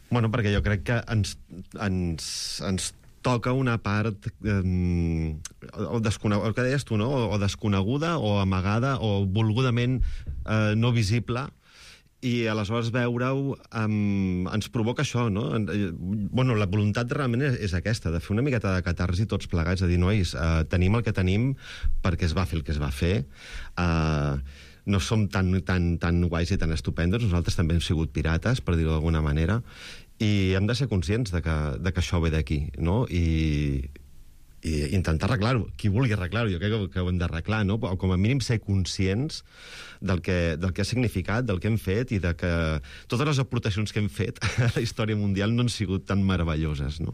Bueno, perquè jo crec que ens, ens, ens toca una part eh, o desconeguda, el que deies tu, no? O, o desconeguda, o amagada, o volgudament eh, no visible, i aleshores veure-ho um, ens provoca això, no? Bueno, la voluntat realment és, és aquesta, de fer una miqueta de catarsi tots plegats, de dir, nois, uh, tenim el que tenim perquè es va fer el que es va fer, uh, no som tan, tan, tan guais i tan estupendos, nosaltres també hem sigut pirates, per dir-ho d'alguna manera, i hem de ser conscients de que, de que això ve d'aquí, no? I, i intentar arreglar-ho. Qui vulgui arreglar-ho, jo crec que, que ho hem d'arreglar, no? O com a mínim ser conscients del que, del que ha significat, del que hem fet, i de que totes les aportacions que hem fet a la història mundial no han sigut tan meravelloses, no?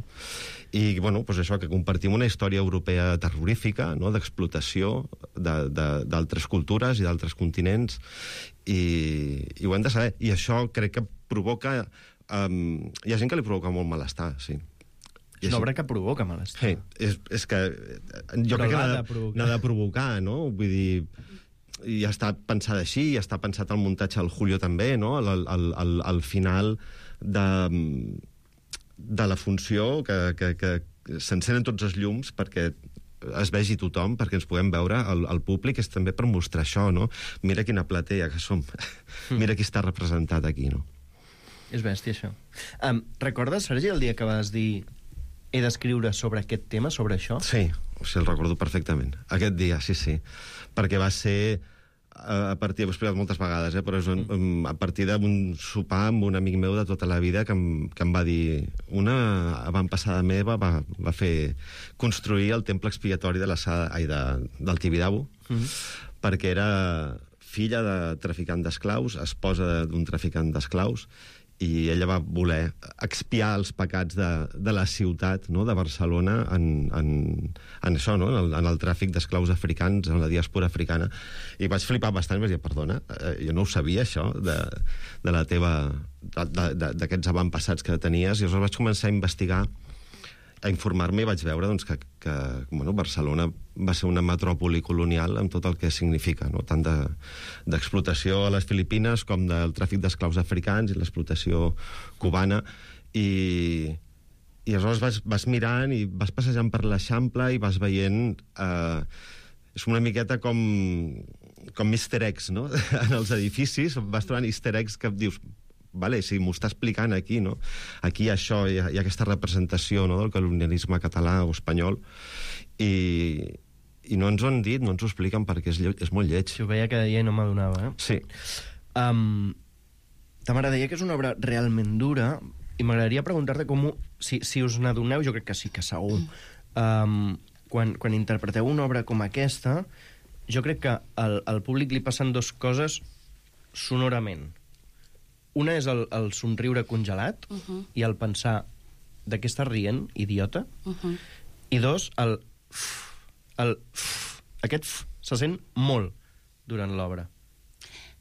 I, bueno, doncs això, que compartim una història europea terrorífica, no?, d'explotació d'altres cultures i d'altres continents, i, i ho hem de saber. I això crec que provoca... Um, hi ha gent que li provoca molt malestar, sí. És una obra que provoca malestar. Sí, és, és que jo Però crec que l'ha n'ha de de, provocar. de provocar, no? Vull dir, ja està pensada així, ja està pensat el muntatge al Julio també, no? Al, al, al, al final de, de la funció que, que, que s'encenen tots els llums perquè es vegi tothom, perquè ens puguem veure el, el públic, és també per mostrar això, no? Mira quina platea que som. Mira qui està representat aquí, no? És bèstia, això. Um, recordes, Sergi, el dia que vas dir he d'escriure sobre aquest tema, sobre això? Sí, o sigui, el recordo perfectament. Aquest dia, sí, sí. Perquè va ser a partir, ho he explicat moltes vegades, eh, però és un, mm. a partir d'un sopar amb un amic meu de tota la vida que em, que em va dir... Una avantpassada meva va, va fer construir el temple expiatori de la sala, ai, de, del Tibidabo, mm. perquè era filla de traficant d'esclaus, esposa d'un traficant d'esclaus, i ella va voler expiar els pecats de, de la ciutat, no?, de Barcelona en, en, en això, no?, en el, en el tràfic d'esclaus africans, en la diàspora africana. I vaig flipar bastant i vaig dir, perdona, eh, jo no ho sabia, això, de, de la teva... d'aquests avantpassats que tenies, i llavors vaig començar a investigar, a informar-me, i vaig veure doncs, que, que bueno, Barcelona va ser una metròpoli colonial amb tot el que significa, no? Tant d'explotació de, a les Filipines com del tràfic d'esclaus africans i l'explotació cubana. I, i aleshores vas, vas mirant i vas passejant per l'Eixample i vas veient... Eh, és una miqueta com, com easter eggs, no? En els edificis vas trobant easter eggs que dius... Vale, si m'ho està explicant aquí, no? Aquí hi ha això, hi ha, hi ha aquesta representació, no?, del colonialisme català o espanyol, i, i no ens ho han dit, no ens ho expliquen perquè és, lle és molt lleig. Si ho veia cada dia i no m'adonava, eh? Sí. Um, Tamara, deia que és una obra realment dura, i m'agradaria preguntar-te com... Ho, si, si us n'adoneu, jo crec que sí, que segur. Um, quan, quan interpreteu una obra com aquesta, jo crec que al, al públic li passen dues coses sonorament. Una és el, el somriure congelat uh -huh. i el pensar de què estàs rient, idiota, uh -huh. i dos, el f, el f, aquest f se sent molt durant l'obra.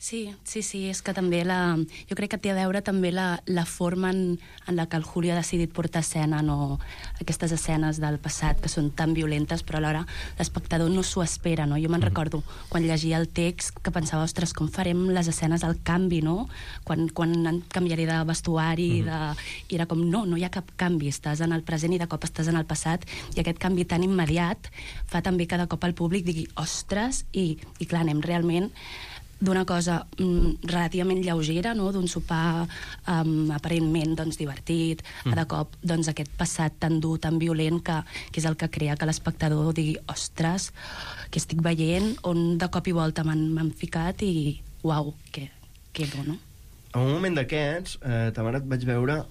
Sí, sí, sí, és que també la... Jo crec que té a veure també la, la forma en, en la que el Julio ha decidit portar a escena, no? Aquestes escenes del passat que són tan violentes, però alhora l'espectador no s'ho espera, no? Jo me'n recordo quan llegia el text que pensava, ostres, com farem les escenes al canvi, no? Quan, quan canviaré de vestuari, de... i era com, no, no hi ha cap canvi, estàs en el present i de cop estàs en el passat, i aquest canvi tan immediat fa també que de cop el públic digui, ostres, i, i clar, anem realment d'una cosa mm, relativament lleugera, no? D'un sopar um, aparentment doncs, divertit, mm. de cop doncs, aquest passat tan dur, tan violent, que, que és el que crea que l'espectador digui ostres, que estic veient, on de cop i volta m'han ficat i uau, que, que bo, no? En un moment d'aquests, eh, Tamara, et vaig veure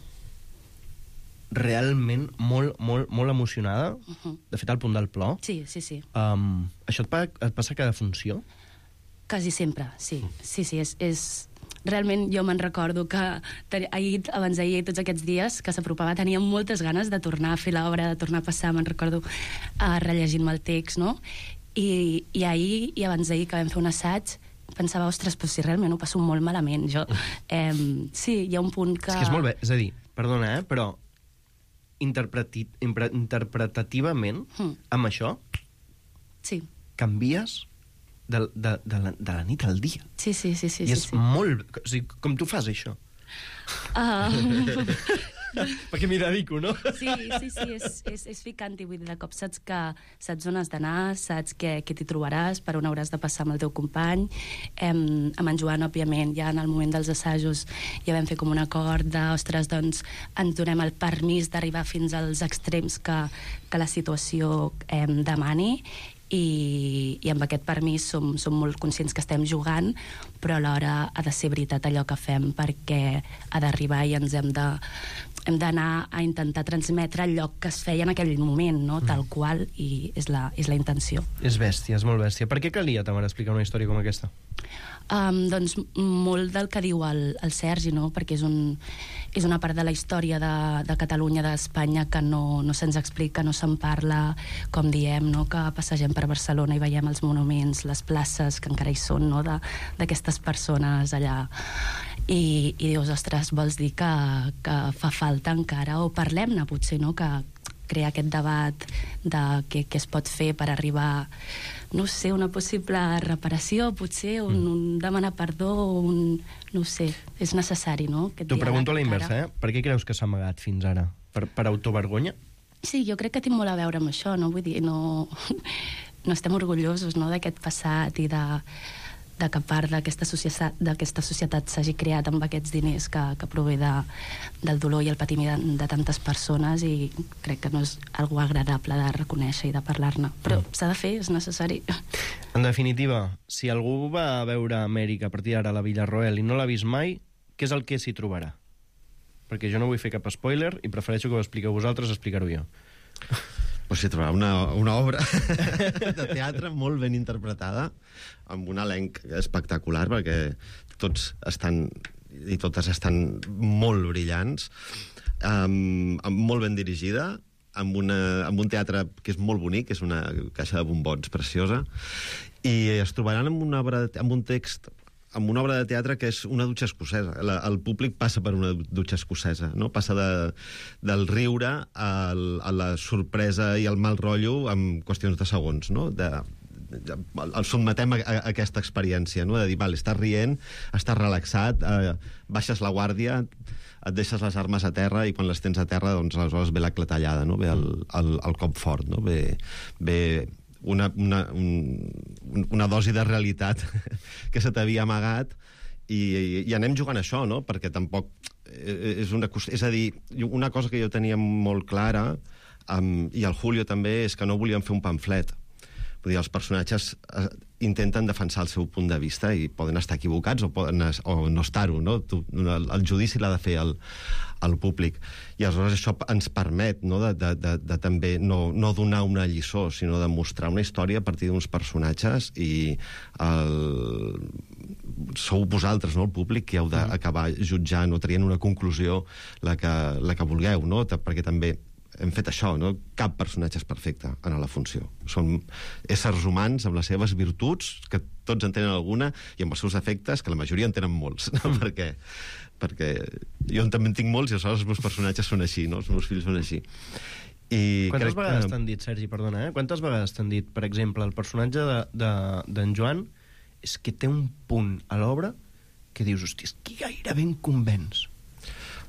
realment molt, molt, molt emocionada, uh -huh. de fet, al punt del plor. Sí, sí, sí. Um, això et, pa, et passa a cada funció? Quasi sempre, sí. Sí, sí, és... és... Realment jo me'n recordo que ahir, abans d'ahir, tots aquests dies que s'apropava, tenia moltes ganes de tornar a fer l'obra, de tornar a passar, me'n recordo uh, rellegint-me el text, no? I, i ahir i abans d'ahir que vam fer un assaig pensava, ostres, però si realment ho passo molt malament, jo. Eh, sí, hi ha un punt que... És que és molt bé, és a dir, perdona, eh, però interpreti, interpretativament, mm. amb això, sí. canvies de, de, de, la, de la nit al dia. Sí, sí, sí. sí I és sí, sí. molt... O sigui, com tu fas, això? Uh... Perquè m'hi dedico, no? Sí, sí, sí, és, és, és ficant-hi. Vull dir, de cop saps que saps on has d'anar, saps què, què t'hi trobaràs, per on hauràs de passar amb el teu company. Em, amb en Joan, òbviament, ja en el moment dels assajos ja vam fer com un acord de, ostres, doncs ens donem el permís d'arribar fins als extrems que, que la situació em demani, i, i amb aquest permís som, som molt conscients que estem jugant, però alhora ha de ser veritat allò que fem, perquè ha d'arribar i ens hem de hem d'anar a intentar transmetre allò que es feia en aquell moment, no? Tal qual, i és la, és la intenció. És bèstia, és molt bèstia. Per què calia, Tamara, explicar una història com aquesta? Um, doncs molt del que diu el, el Sergi, no? Perquè és, un, és una part de la història de, de Catalunya, d'Espanya, que no, no se'ns explica, no se'n parla, com diem, no? Que passegem per Barcelona i veiem els monuments, les places que encara hi són, no? D'aquestes persones allà. I, i dius, ostres, vols dir que, que fa falta encara, o parlem-ne potser, no? Que crear aquest debat de què, què es pot fer per arribar, no sé, una possible reparació, potser, un, un demanar perdó, un... no sé, és necessari, no? T'ho pregunto a la inversa, eh? Per què creus que s'ha amagat fins ara? Per, per autovergonya? Sí, jo crec que té molt a veure amb això, no? Vull dir, no, no estem orgullosos, no?, d'aquest passat i de... de que part d'aquesta societat, d'aquesta societat s'hagi creat amb aquests diners que, que prové de, del dolor i el patiment de, de tantes persones, i crec que no és algo agradable de reconèixer i de parlar-ne. Però mm. s'ha de fer, és necessari. En definitiva, si algú va a veure Amèrica a partir d'ara a la Villarroel i no l'ha vist mai, què és el que s'hi trobarà? Perquè jo no vull fer cap spoiler i prefereixo que ho expliqueu vosaltres, explicar-ho jo. Pues s'hi trobarà una, una obra de teatre molt ben interpretada, amb un elenc espectacular, perquè tots estan i totes estan molt brillants, um, molt ben dirigida, amb, una, amb un teatre que és molt bonic, que és una caixa de bombons preciosa, i es trobaran amb, una obra, amb un text, amb una obra de teatre que és una dutxa escocesa. La, el públic passa per una dutxa escocesa, no? Passa de, del riure al, a la sorpresa i al mal rotllo en qüestions de segons, no? De, de, el sotmetem a, a, a aquesta experiència, no? De dir, vale, estàs rient, estàs relaxat, eh, baixes la guàrdia, et deixes les armes a terra, i quan les tens a terra, doncs aleshores ve la clatellada, no? Ve el, el, el cop fort, no? Ve... ve Una, una, un, una dosi de realitat que se t'havia amagat, i, i, i anem jugant a això, no? Perquè tampoc és una... És a dir, una cosa que jo tenia molt clara, um, i el Julio també, és que no volíem fer un pamflet. Vull dir, els personatges eh, intenten defensar el seu punt de vista, i poden estar equivocats o, poden, o no estar-ho, no? Tu, el, el judici l'ha de fer el, el públic. I aleshores això ens permet, no?, de, de, de, de també no, no donar una lliçó, sinó de mostrar una història a partir d'uns personatges, i el... sou vosaltres, no?, el públic, que heu d'acabar jutjant o traient una conclusió, la que, la que vulgueu, no? Perquè també hem fet això, no? Cap personatge és perfecte en la funció. Són éssers humans amb les seves virtuts, que tots en tenen alguna, i amb els seus defectes, que la majoria en tenen molts. No? perquè, perquè jo també en tinc molts, i aleshores els meus personatges són així, no? Els meus fills són així. I Quantes crec vegades que... t'han dit, Sergi, perdona, eh? Quantes vegades t'han dit, per exemple, el personatge d'en de, de, Joan és que té un punt a l'obra que dius, hòstia, és que gairebé em convenç.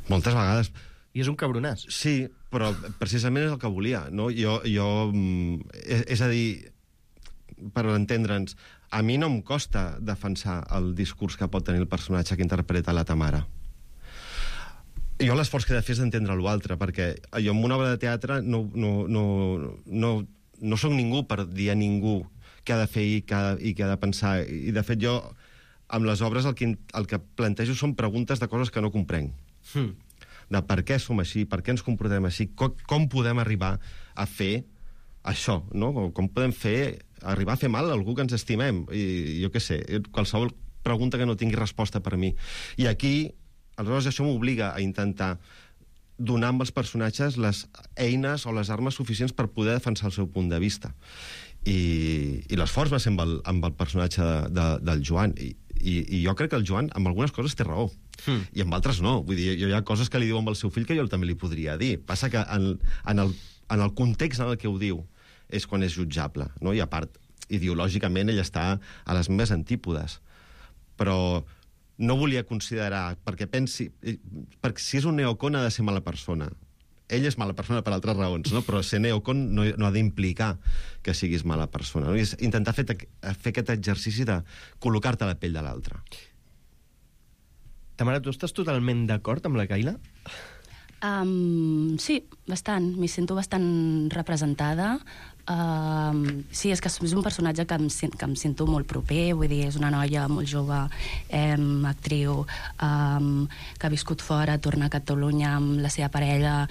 Moltes vegades. I és un cabronàs. Sí, però precisament és el que volia, no? Jo, jo és, és a dir, per entendre'ns, a mi no em costa defensar el discurs que pot tenir el personatge que interpreta la Tamara. Jo l'esforç que he de fer és d'entendre l'altre, perquè jo en una obra de teatre no, no, no, no, no soc ningú per dir a ningú què ha de fer i què ha, i què ha de pensar. I, de fet, jo, amb les obres, el que, el que plantejo són preguntes de coses que no comprenc. Hmm. De per què som així, per què ens comportem així, com, com podem arribar a fer això, no? Com podem fer, arribar a fer mal a algú que ens estimem. I jo què sé, qualsevol pregunta que no tingui resposta per mi. I aquí, aleshores, això m'obliga a intentar donar amb els personatges les eines o les armes suficients per poder defensar el seu punt de vista. I, i l'esforç va ser amb el, amb el personatge de, de, del Joan. I, i, I jo crec que el Joan, amb algunes coses, té raó. Mm. I amb altres no. Vull dir, hi ha coses que li diu amb el seu fill que jo també li podria dir. Passa que en, en, el, en el context en el que ho diu és quan és jutjable, no? I a part, ideològicament, ell està a les meves antípodes. Però no volia considerar, perquè pensi... Perquè si és un neocon ha de ser mala persona. Ell és mala persona per altres raons, no? Però ser neocon no, no ha d'implicar que siguis mala persona. No? I és intentar fer, fer aquest exercici de col·locar-te a la pell de l'altre. Tamara, tu estàs totalment d'acord amb la Kayla? Um, sí, bastant. M'hi sento bastant representada. Um, sí, és que és un personatge que em, que em sento molt proper, vull dir, és una noia molt jove, um, actriu, um, que ha viscut fora, torna a Catalunya amb la seva parella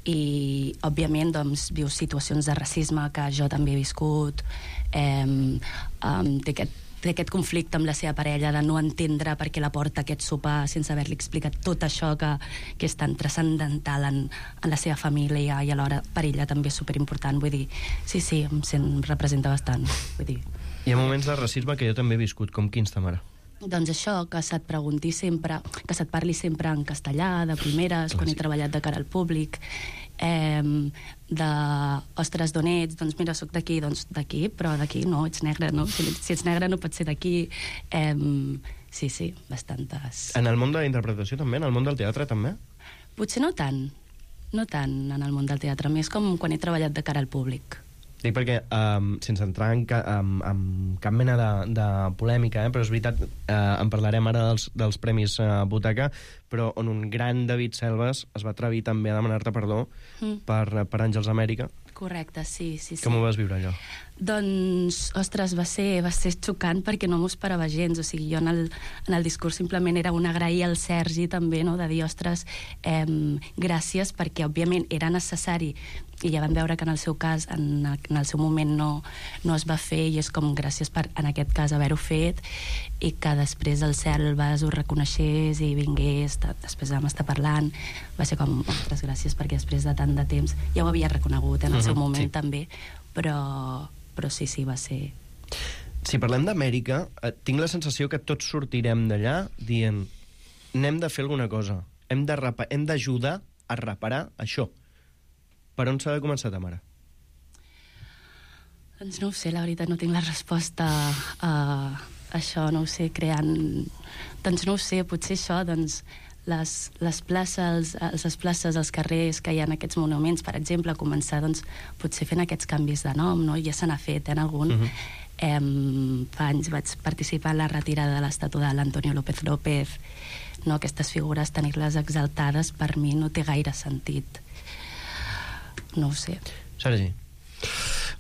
i, òbviament, doncs, viu situacions de racisme que jo també he viscut. Um, um, té aquest té aquest conflicte amb la seva parella de no entendre per què la porta a aquest sopar sense haver-li explicat tot això que, que és tan transcendental en, en la seva família i alhora per ella també és superimportant. Vull dir, sí, sí, em sent, representa bastant. Vull dir. Hi ha moments de racisme que jo també he viscut, com quins, Tamara? Doncs això, que se't pregunti sempre, que se't parli sempre en castellà, de primeres, quan he treballat de cara al públic, eh, de, ostres, d'on ets? Doncs mira, soc d'aquí, doncs d'aquí, però d'aquí no, ets negre, no? Si, si ets negre no pots ser d'aquí. Eh, sí, sí, bastantes. En el món de la interpretació també? En el món del teatre també? Potser no tant, no tant en el món del teatre, més com quan he treballat de cara al públic. Dic perquè, um, sense entrar en, ca, en, en cap mena de, de polèmica, eh, però és veritat, eh, en parlarem ara dels, dels Premis eh, Butaca, però on un gran David Selves es va atrevir també a demanar-te perdó mm. per, per Àngels Amèrica. Correcte, sí, sí, sí. Com ho vas viure, allò? Doncs, ostres, va ser, va ser xocant perquè no m'ho esperava gens. O sigui, jo en el, en el discurs simplement era un agrair al Sergi també, no?, de dir, ostres, eh, gràcies, perquè òbviament era necessari i ja vam veure que en el seu cas, en, en el seu moment no, no es va fer, i és com gràcies per, en aquest cas, haver-ho fet, i que després el Selves ho reconeixés i vingués, després vam estar parlant, va ser com, ostres, gràcies, perquè després de tant de temps, ja ho havia reconegut en el seu moment, sí, també, però, però sí, sí, va ser... Si parlem d'Amèrica, eh, tinc la sensació que tots sortirem d'allà dient, n'hem de fer alguna cosa, hem de rapa- hem d'ajudar a reparar això. Per on s'ha de començar, Tamara? Doncs no ho sé, la veritat, no tinc la resposta a això, no ho sé, creant... Doncs no ho sé, potser això, doncs, les, les places, les places, els carrers que hi ha en aquests monuments, per exemple, començar, doncs, potser fent aquests canvis de nom, no? Ja se n'ha fet, eh, en algun. Uh-huh. eh, fa anys vaig participar en la retirada de l'estàtua de l'Antonio López López, no? Aquestes figures, tenir-les exaltades, per mi no té gaire sentit. No ho sé. Sergi?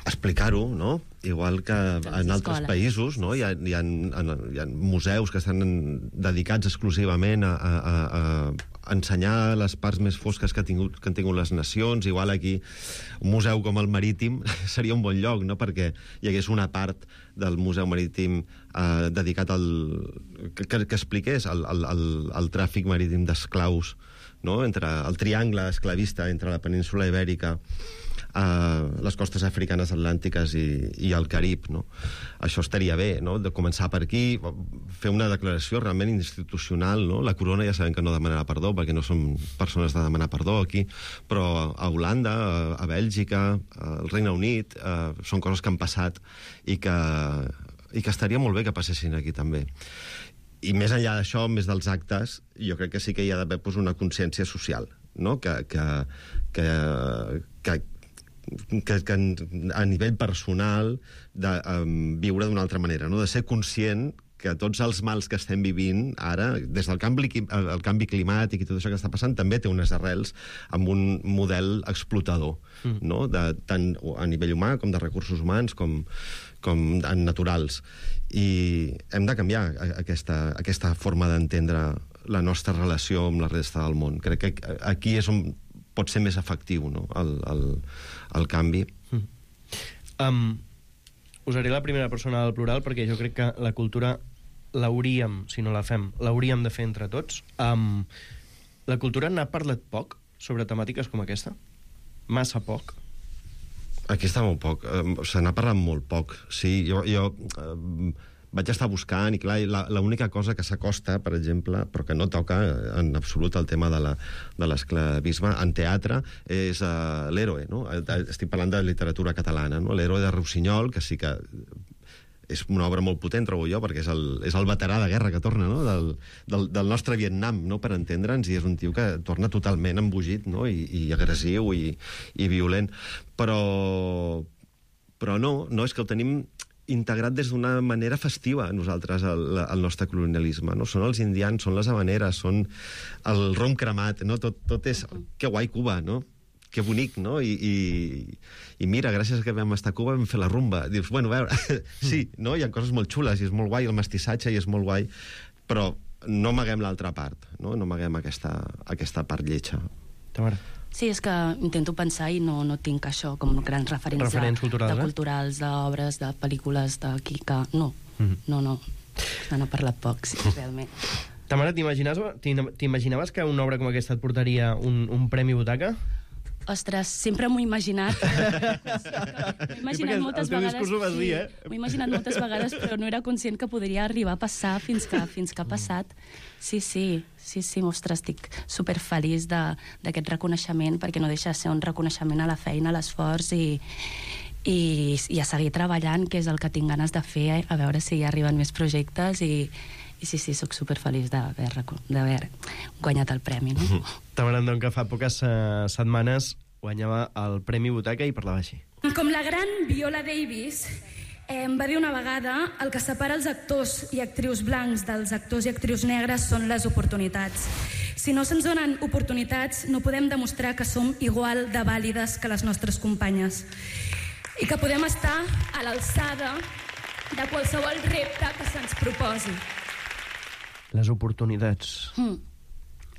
Explicar-ho, no? Igual que en altres països, no? Hi ha, hi ha, hi ha museus que estan dedicats exclusivament a, a, a ensenyar les parts més fosques que, ha tingut, que han tingut les nacions. Igual aquí un museu com el Marítim seria un bon lloc, no?, perquè hi hagués una part del Museu Marítim eh, dedicat al... que, que expliqués el, el, el, el tràfic marítim d'esclaus, no?, entre el triangle esclavista entre la península Ibèrica, eh, les costes africanes atlàntiques i, i el Carib, no? Això estaria bé, no?, de començar per aquí, fer una declaració realment institucional, no? La corona ja sabem que no demanarà perdó, perquè no som persones de demanar perdó aquí, però a Holanda, a Bèlgica, al Regne Unit, eh, són coses que han passat i que, i que estaria molt bé que passessin aquí també. I més enllà d'això, més dels actes, jo crec que sí que hi ha d'haver pues, una consciència social, no? que, que, que, que, que, que a nivell personal de um, viure d'una altra manera, no? De ser conscient que tots els mals que estem vivint ara, des del canvi, el canvi climàtic i tot això que està passant, també té unes arrels amb un model explotador, mm. no? De, tant a nivell humà com de recursos humans com, com en naturals. I hem de canviar aquesta, aquesta forma d'entendre la nostra relació amb la resta del món. Crec que aquí és on pot ser més efectiu, no? el, el, el canvi. Mm. Um, usaré la primera persona del plural perquè jo crec que la cultura l'hauríem, si no la fem, l'hauríem de fer entre tots. Um, la cultura n'ha parlat poc sobre temàtiques com aquesta? Massa poc? Aquí està molt poc. Uh, se n'ha parlat molt poc. Sí, jo, jo uh, vaig estar buscant i, clar, l'única cosa que s'acosta, per exemple, però que no toca en absolut el tema de la, de l'esclavisme en teatre, és uh, l'Héroe, no? Estic parlant de literatura catalana, no? L'Héroe de Rossinyol, que sí que és una obra molt potent, trobo jo, perquè és el, és el veterà de guerra que torna, no? del, del, del nostre Vietnam, no? Per entendre'ns, i és un tio que torna totalment embogit, no? I, i agressiu i, i violent. Però, però no, no, és que el tenim integrat des d'una manera festiva, nosaltres, el, el nostre colonialisme, no? Són els indians, són les habaneres, són el rom cremat, no? Tot, tot és... Que guai Cuba, no? Que bonic, no? I, i, i mira, gràcies a que vam estar a Cuba vam fer la rumba. Dius, bueno, a veure, sí, no? Hi ha coses molt xules i és molt guai, el mestissatge i és molt guai, però no amaguem l'altra part, no? No amaguem aquesta, aquesta part lletja. Tamara. Sí, és que intento pensar i no, no tinc això com grans referents, referents culturals, de eh? culturals, d'obres, de pel·lícules, d'aquí que... No, mm-hmm. no, no. N'ha parlat poc, sí, realment. Tamara, t'imaginaves que una obra com aquesta et portaria un, un premi Butaca? Ostres, sempre m'ho he imaginat. M'ho he imaginat moltes vegades. Dir, eh? M'ho he imaginat moltes vegades, però no era conscient que podria arribar a passar fins que, fins que ha passat. Sí, sí, sí, sí, ostres, estic superfeliç d'aquest reconeixement, perquè no deixa de ser un reconeixement a la feina, a l'esforç i, i, i a seguir treballant, que és el que tinc ganes de fer, a veure si hi arriben més projectes i... I sí, sí, sóc superfeliç d'haver guanyat el premi, no? Tamara Andon, que fa poques uh, setmanes guanyava el Premi Butaca i parlava així. Com la gran Viola Davis eh, em va dir una vegada, el que separa els actors i actrius blancs dels actors i actrius negres són les oportunitats. Si no se'ns donen oportunitats, no podem demostrar que som igual de vàlides que les nostres companyes i que podem estar a l'alçada de qualsevol repte que se'ns proposi. Les oportunitats. Mm.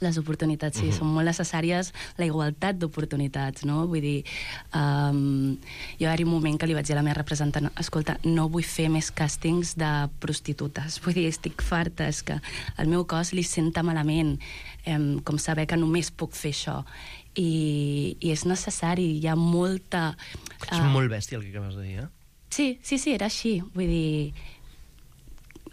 Les oportunitats, sí, uh-huh. són molt necessàries, la igualtat d'oportunitats, no? Vull dir, um, jo va haver un moment que li vaig dir a la meva representant, escolta, no vull fer més càstings de prostitutes, vull dir, estic farta, és que el meu cos li senta malament, um, com saber que només puc fer això. I, i és necessari, hi ha molta... Uh... És molt bèstia el que acabes de dir, eh? Sí, sí, sí, era així, vull dir...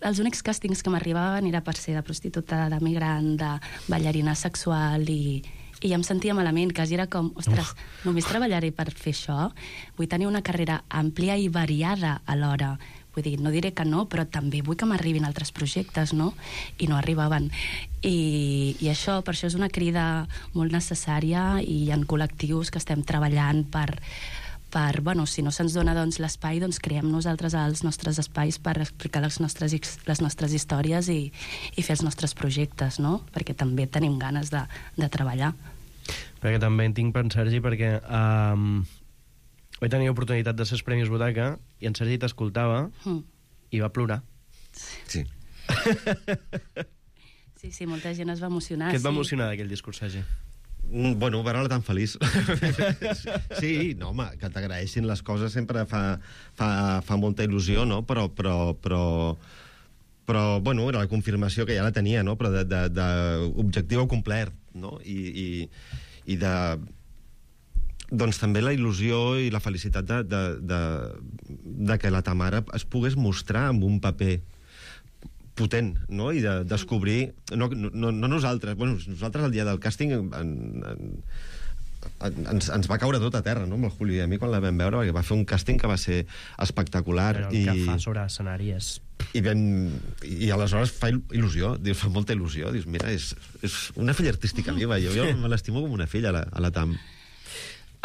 Els únics càstings que m'arribaven era per ser de prostituta, de migrant, de ballarina sexual i, i ja em sentia malament, quasi era com, ostres, Uf. només treballaré per fer això? Vull tenir una carrera àmplia i variada alhora. Vull dir, no diré que no, però també vull que m'arribin altres projectes, no? I no arribaven. I, i això, per això és una crida molt necessària i hi ha col·lectius que estem treballant per... per, bueno, si no se'ns dona doncs, l'espai, doncs creem nosaltres els nostres espais per explicar les nostres, les nostres històries i, i fer els nostres projectes, no? Perquè també tenim ganes de, de treballar. Perquè també en tinc per en Sergi, perquè um, vaig tenir oportunitat de ser els Premis Butaca i en Sergi t'escoltava mm. i va plorar. Sí. Sí, sí, molta gent es va emocionar. Què et va sí. emocionar d'aquell discurs, Sergi? Bueno, veure-la tan feliç. Sí, no, home, que t'agraeixin les coses sempre fa, fa, fa molta il·lusió, no? Però, però, però, però, bueno, era la confirmació que ja la tenia, no? Però d'objectiu complert, no? I, i, i de... Doncs també la il·lusió i la felicitat de, de, de, de que la Tamara es pogués mostrar amb un paper potent, no? I de descobrir... No, no, no nosaltres, bueno, nosaltres el dia del càsting en, en, ens, ens va caure tot a terra, no? Amb el Julio i a mi quan la vam veure, perquè va fer un càsting que va ser espectacular. Però el i... que fa sobre escenari és... I, vam, i aleshores fa il·lusió, dius, fa molta il·lusió, dius, mira, és, és una filla artística meva, jo, jo me l'estimo com una filla a la, a la Tam.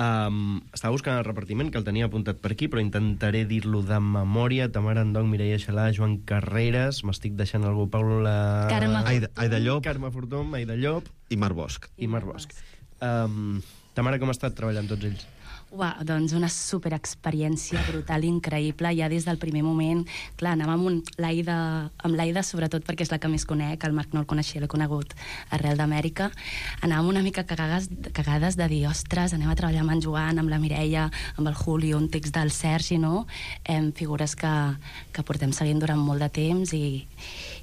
Um, estava buscant el repartiment, que el tenia apuntat per aquí, però intentaré dir-lo de memòria. Tamara Endong, Mireia Xalà, Joan Carreras, m'estic deixant algú, Paula... Carme Aida, Aida Llop. Carme Fortum, Aida Llop. I Marc Bosch. I Marc Bosch. Um, Tamara, com ha estat treballant tots ells? Uau, doncs una superexperiència brutal, increïble, ja des del primer moment. Clar, anàvem amb l'Aida, amb l'Aida sobretot perquè és la que més conec, el Marc no el coneixia, l'he conegut arrel d'Amèrica. Anàvem una mica cagades, cagades de dir, ostres, anem a treballar amb en Joan, amb la Mireia, amb el Julio, un text del Sergi, no? Em, figures que, que portem seguint durant molt de temps i,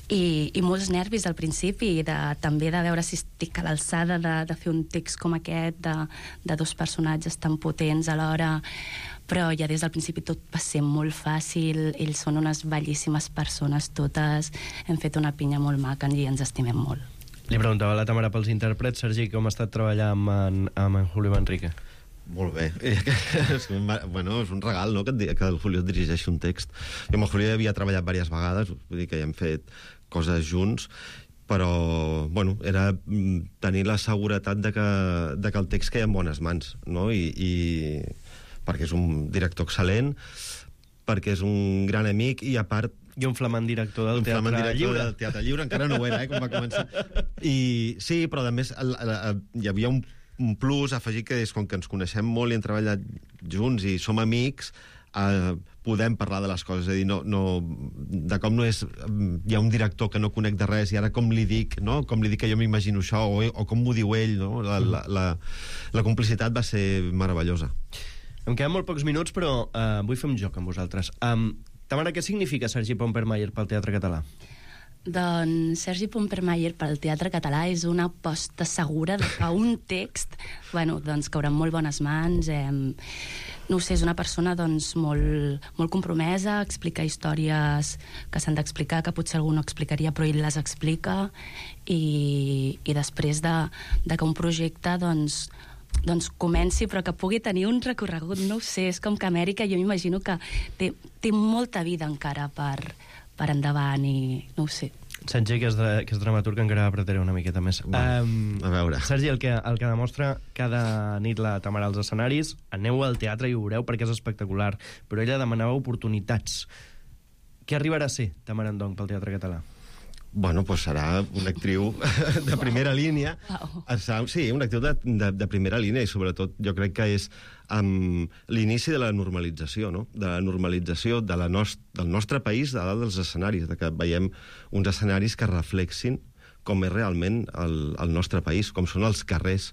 i, i molts nervis al principi, i de, també de veure si estic a l'alçada de, de fer un text com aquest, de, de dos personatges tan potents alhora, però ja des del principi tot va ser molt fàcil. Ells són unes bellíssimes persones totes, hem fet una pinya molt maca i ens estimem molt. Li preguntava a la Tamara pels intèrprets. Sergi, com ha estat treballar amb en, amb en Julio Manrique? Molt bé. És un, bueno, és un regal, no?, que, et, que el Julio dirigeixi un text. Jo amb el Julio havia treballat diverses vegades, vull dir que ja hem fet coses junts, però, bueno, era tenir la seguretat de que, de que el text queia en bones mans, no? I, i perquè és un director excel·lent, perquè és un gran amic, i a part... I un flamant director del Teatre director Lliure. Del Teatre Lliure, encara no ho era, eh, com va començar. I sí, però a més el, el, el, hi havia un, un plus afegit, que és com que ens coneixem molt i hem treballat junts i som amics, eh, podem parlar de les coses, és a dir, no, no, de com no és... Hi ha un director que no conec de res, i ara com li dic, no?, com li dic que jo m'imagino això, o, o com m'ho diu ell, no? La, la, la, la complicitat va ser meravellosa. Em queden molt pocs minuts, però uh, vull fer un joc amb vosaltres. Um, Tamara, què significa Sergi Pompermayer pel teatre català? Doncs Sergi Pompermayer pel Teatre Català és una aposta segura de que un text, bueno, doncs caurà en molt bones mans. Eh, no ho sé, és una persona doncs molt, molt compromesa, explica històries que s'han d'explicar, que potser algú no explicaria, però ell les explica, i, i després de, de que un projecte doncs, doncs comenci, però que pugui tenir un recorregut, no ho sé, és com que Amèrica jo m'imagino que té, té molta vida encara per, per endavant, i no ho sé. Sergi, que és, de, que és dramaturg, encara apretaré una miqueta més. Bueno, um, a veure. Sergi, el que, el que demostra cada nit la Tamara als escenaris, aneu al teatre i ho veureu perquè és espectacular, però ella demanava oportunitats. Què arribarà a ser Tamara Endong pel Teatre Català? Bueno, pues serà una actriu de primera línia. Wow. Sí, una actriu de, de, de primera línia, i sobretot jo crec que és um, l'inici de la normalització, no? De la normalització de la nost del nostre país a dalt dels escenaris, de que veiem uns escenaris que reflexin com és realment el, el nostre país, com són els carrers,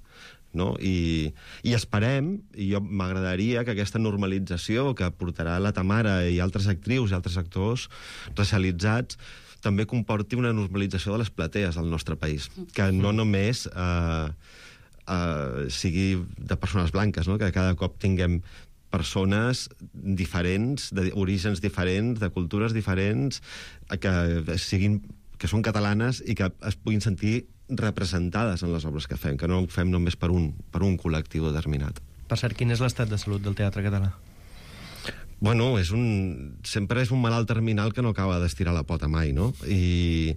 no? I, i esperem, i jo m'agradaria que aquesta normalització que portarà la Tamara i altres actrius i altres actors racialitzats també comporti una normalització de les platees del nostre país, que no només eh, eh, sigui de persones blanques, no? Que cada cop tinguem persones diferents, d'orígens diferents, de cultures diferents, que siguin, que són catalanes i que es puguin sentir representades en les obres que fem, que no ho fem només per un, per un col·lectiu determinat. Per cert, quin és l'estat de salut del teatre català? Bueno, és un, sempre és un malalt terminal que no acaba d'estirar la pota mai, no? I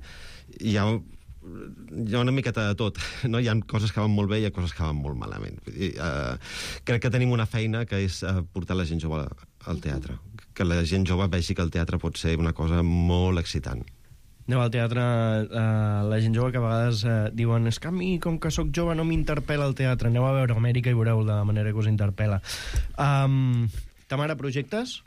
hi ha, hi ha una miqueta de tot, no? Hi ha coses que van molt bé i hi ha coses que van molt malament. I, uh, crec que tenim una feina que és uh, portar la gent jove al teatre, que la gent jove vegi que el teatre pot ser una cosa molt excitant. Aneu al teatre, eh, la gent jove que a vegades eh, diuen és que a mi, com que sóc jove, no m'interpel·la el teatre. Aneu a veure Amèrica i veureu la manera que us interpel·la. Um, Tamara, projectes?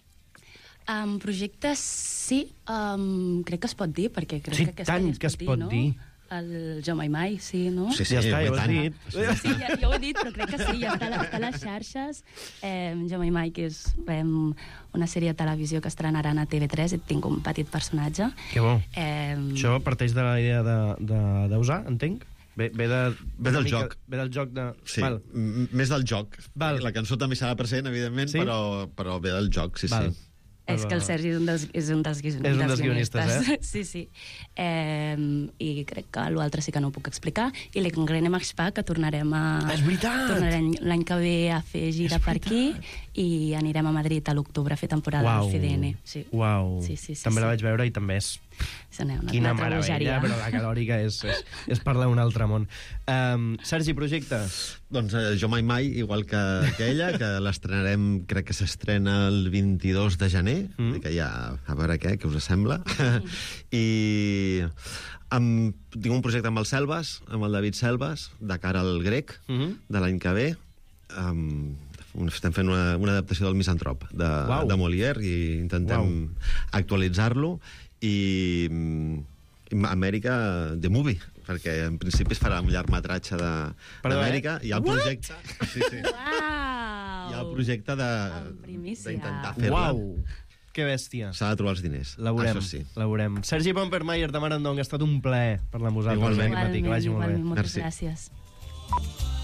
Um, projectes, sí. Um, crec que es pot dir, perquè crec sí, que aquesta tant es que es pot, pot dir, no? dir. El Jo Mai Mai, sí, no? Sí, sí, ja està, ja ho has dit. Sí, sí, ja, ja ho he dit, però crec que sí, ja està, està a les xarxes. Eh, Jo Mai Mai, que és eh, una sèrie de televisió que estrenaran a T V tres, i tinc un petit personatge. Que bo. Eh, Això parteix de la idea d'usar, entenc? Ve, ve, de, ve del mica, joc. Ve del joc de... Sí, Val. més del joc. Val. La cançó també serà present, evidentment, sí? però, però ve del joc, sí, Val. sí. És que el Sergi és un dels, és un dels, és un dels guionistes, eh? Sí, sí. Eh, I crec que l'altre sí que no ho puc explicar. I l'Engrene Max Pa, que tornarem a... És veritat! Tornarem l'any que ve a fer gira per aquí, i anirem a Madrid a l'octubre a fer temporada Uau. al C D N. Sí. Uau. Sí, sí, sí, també sí. la vaig veure i també és És una, una, Quina una altra meravella, bogeria. però la calòrica és, és, és parlar un altre món. Um, Sergi, projectes? Doncs eh, jo mai mai, igual que, que ella, que l'estrenarem, crec que s'estrena el vint-i-dos de gener, mm. que ja, a veure què, què us sembla. Mm. I amb, tinc un projecte amb el Selves, amb el David Selves, de cara al grec, mm. de l'any que ve. Um, estem fent una, una adaptació del Misantrop, de, Uau. de Molière, i intentem Uau. actualitzar-lo. I Amèrica The Movie, perquè en principi es farà un llargmetratge d'Amèrica. Eh? Hi ha el projecte... Sí, sí. Uau! Hi ha el projecte de d'intentar fer-la. Uau! Que bèstia. S'ha de trobar els diners. La veurem, Això sí. la veurem. Sergi Pompermayer de Marandong, ha estat un plaer parlar amb vosaltres. Igualment. aquest matí. Que vagi molt bé. Igualment, moltes Merci. gràcies.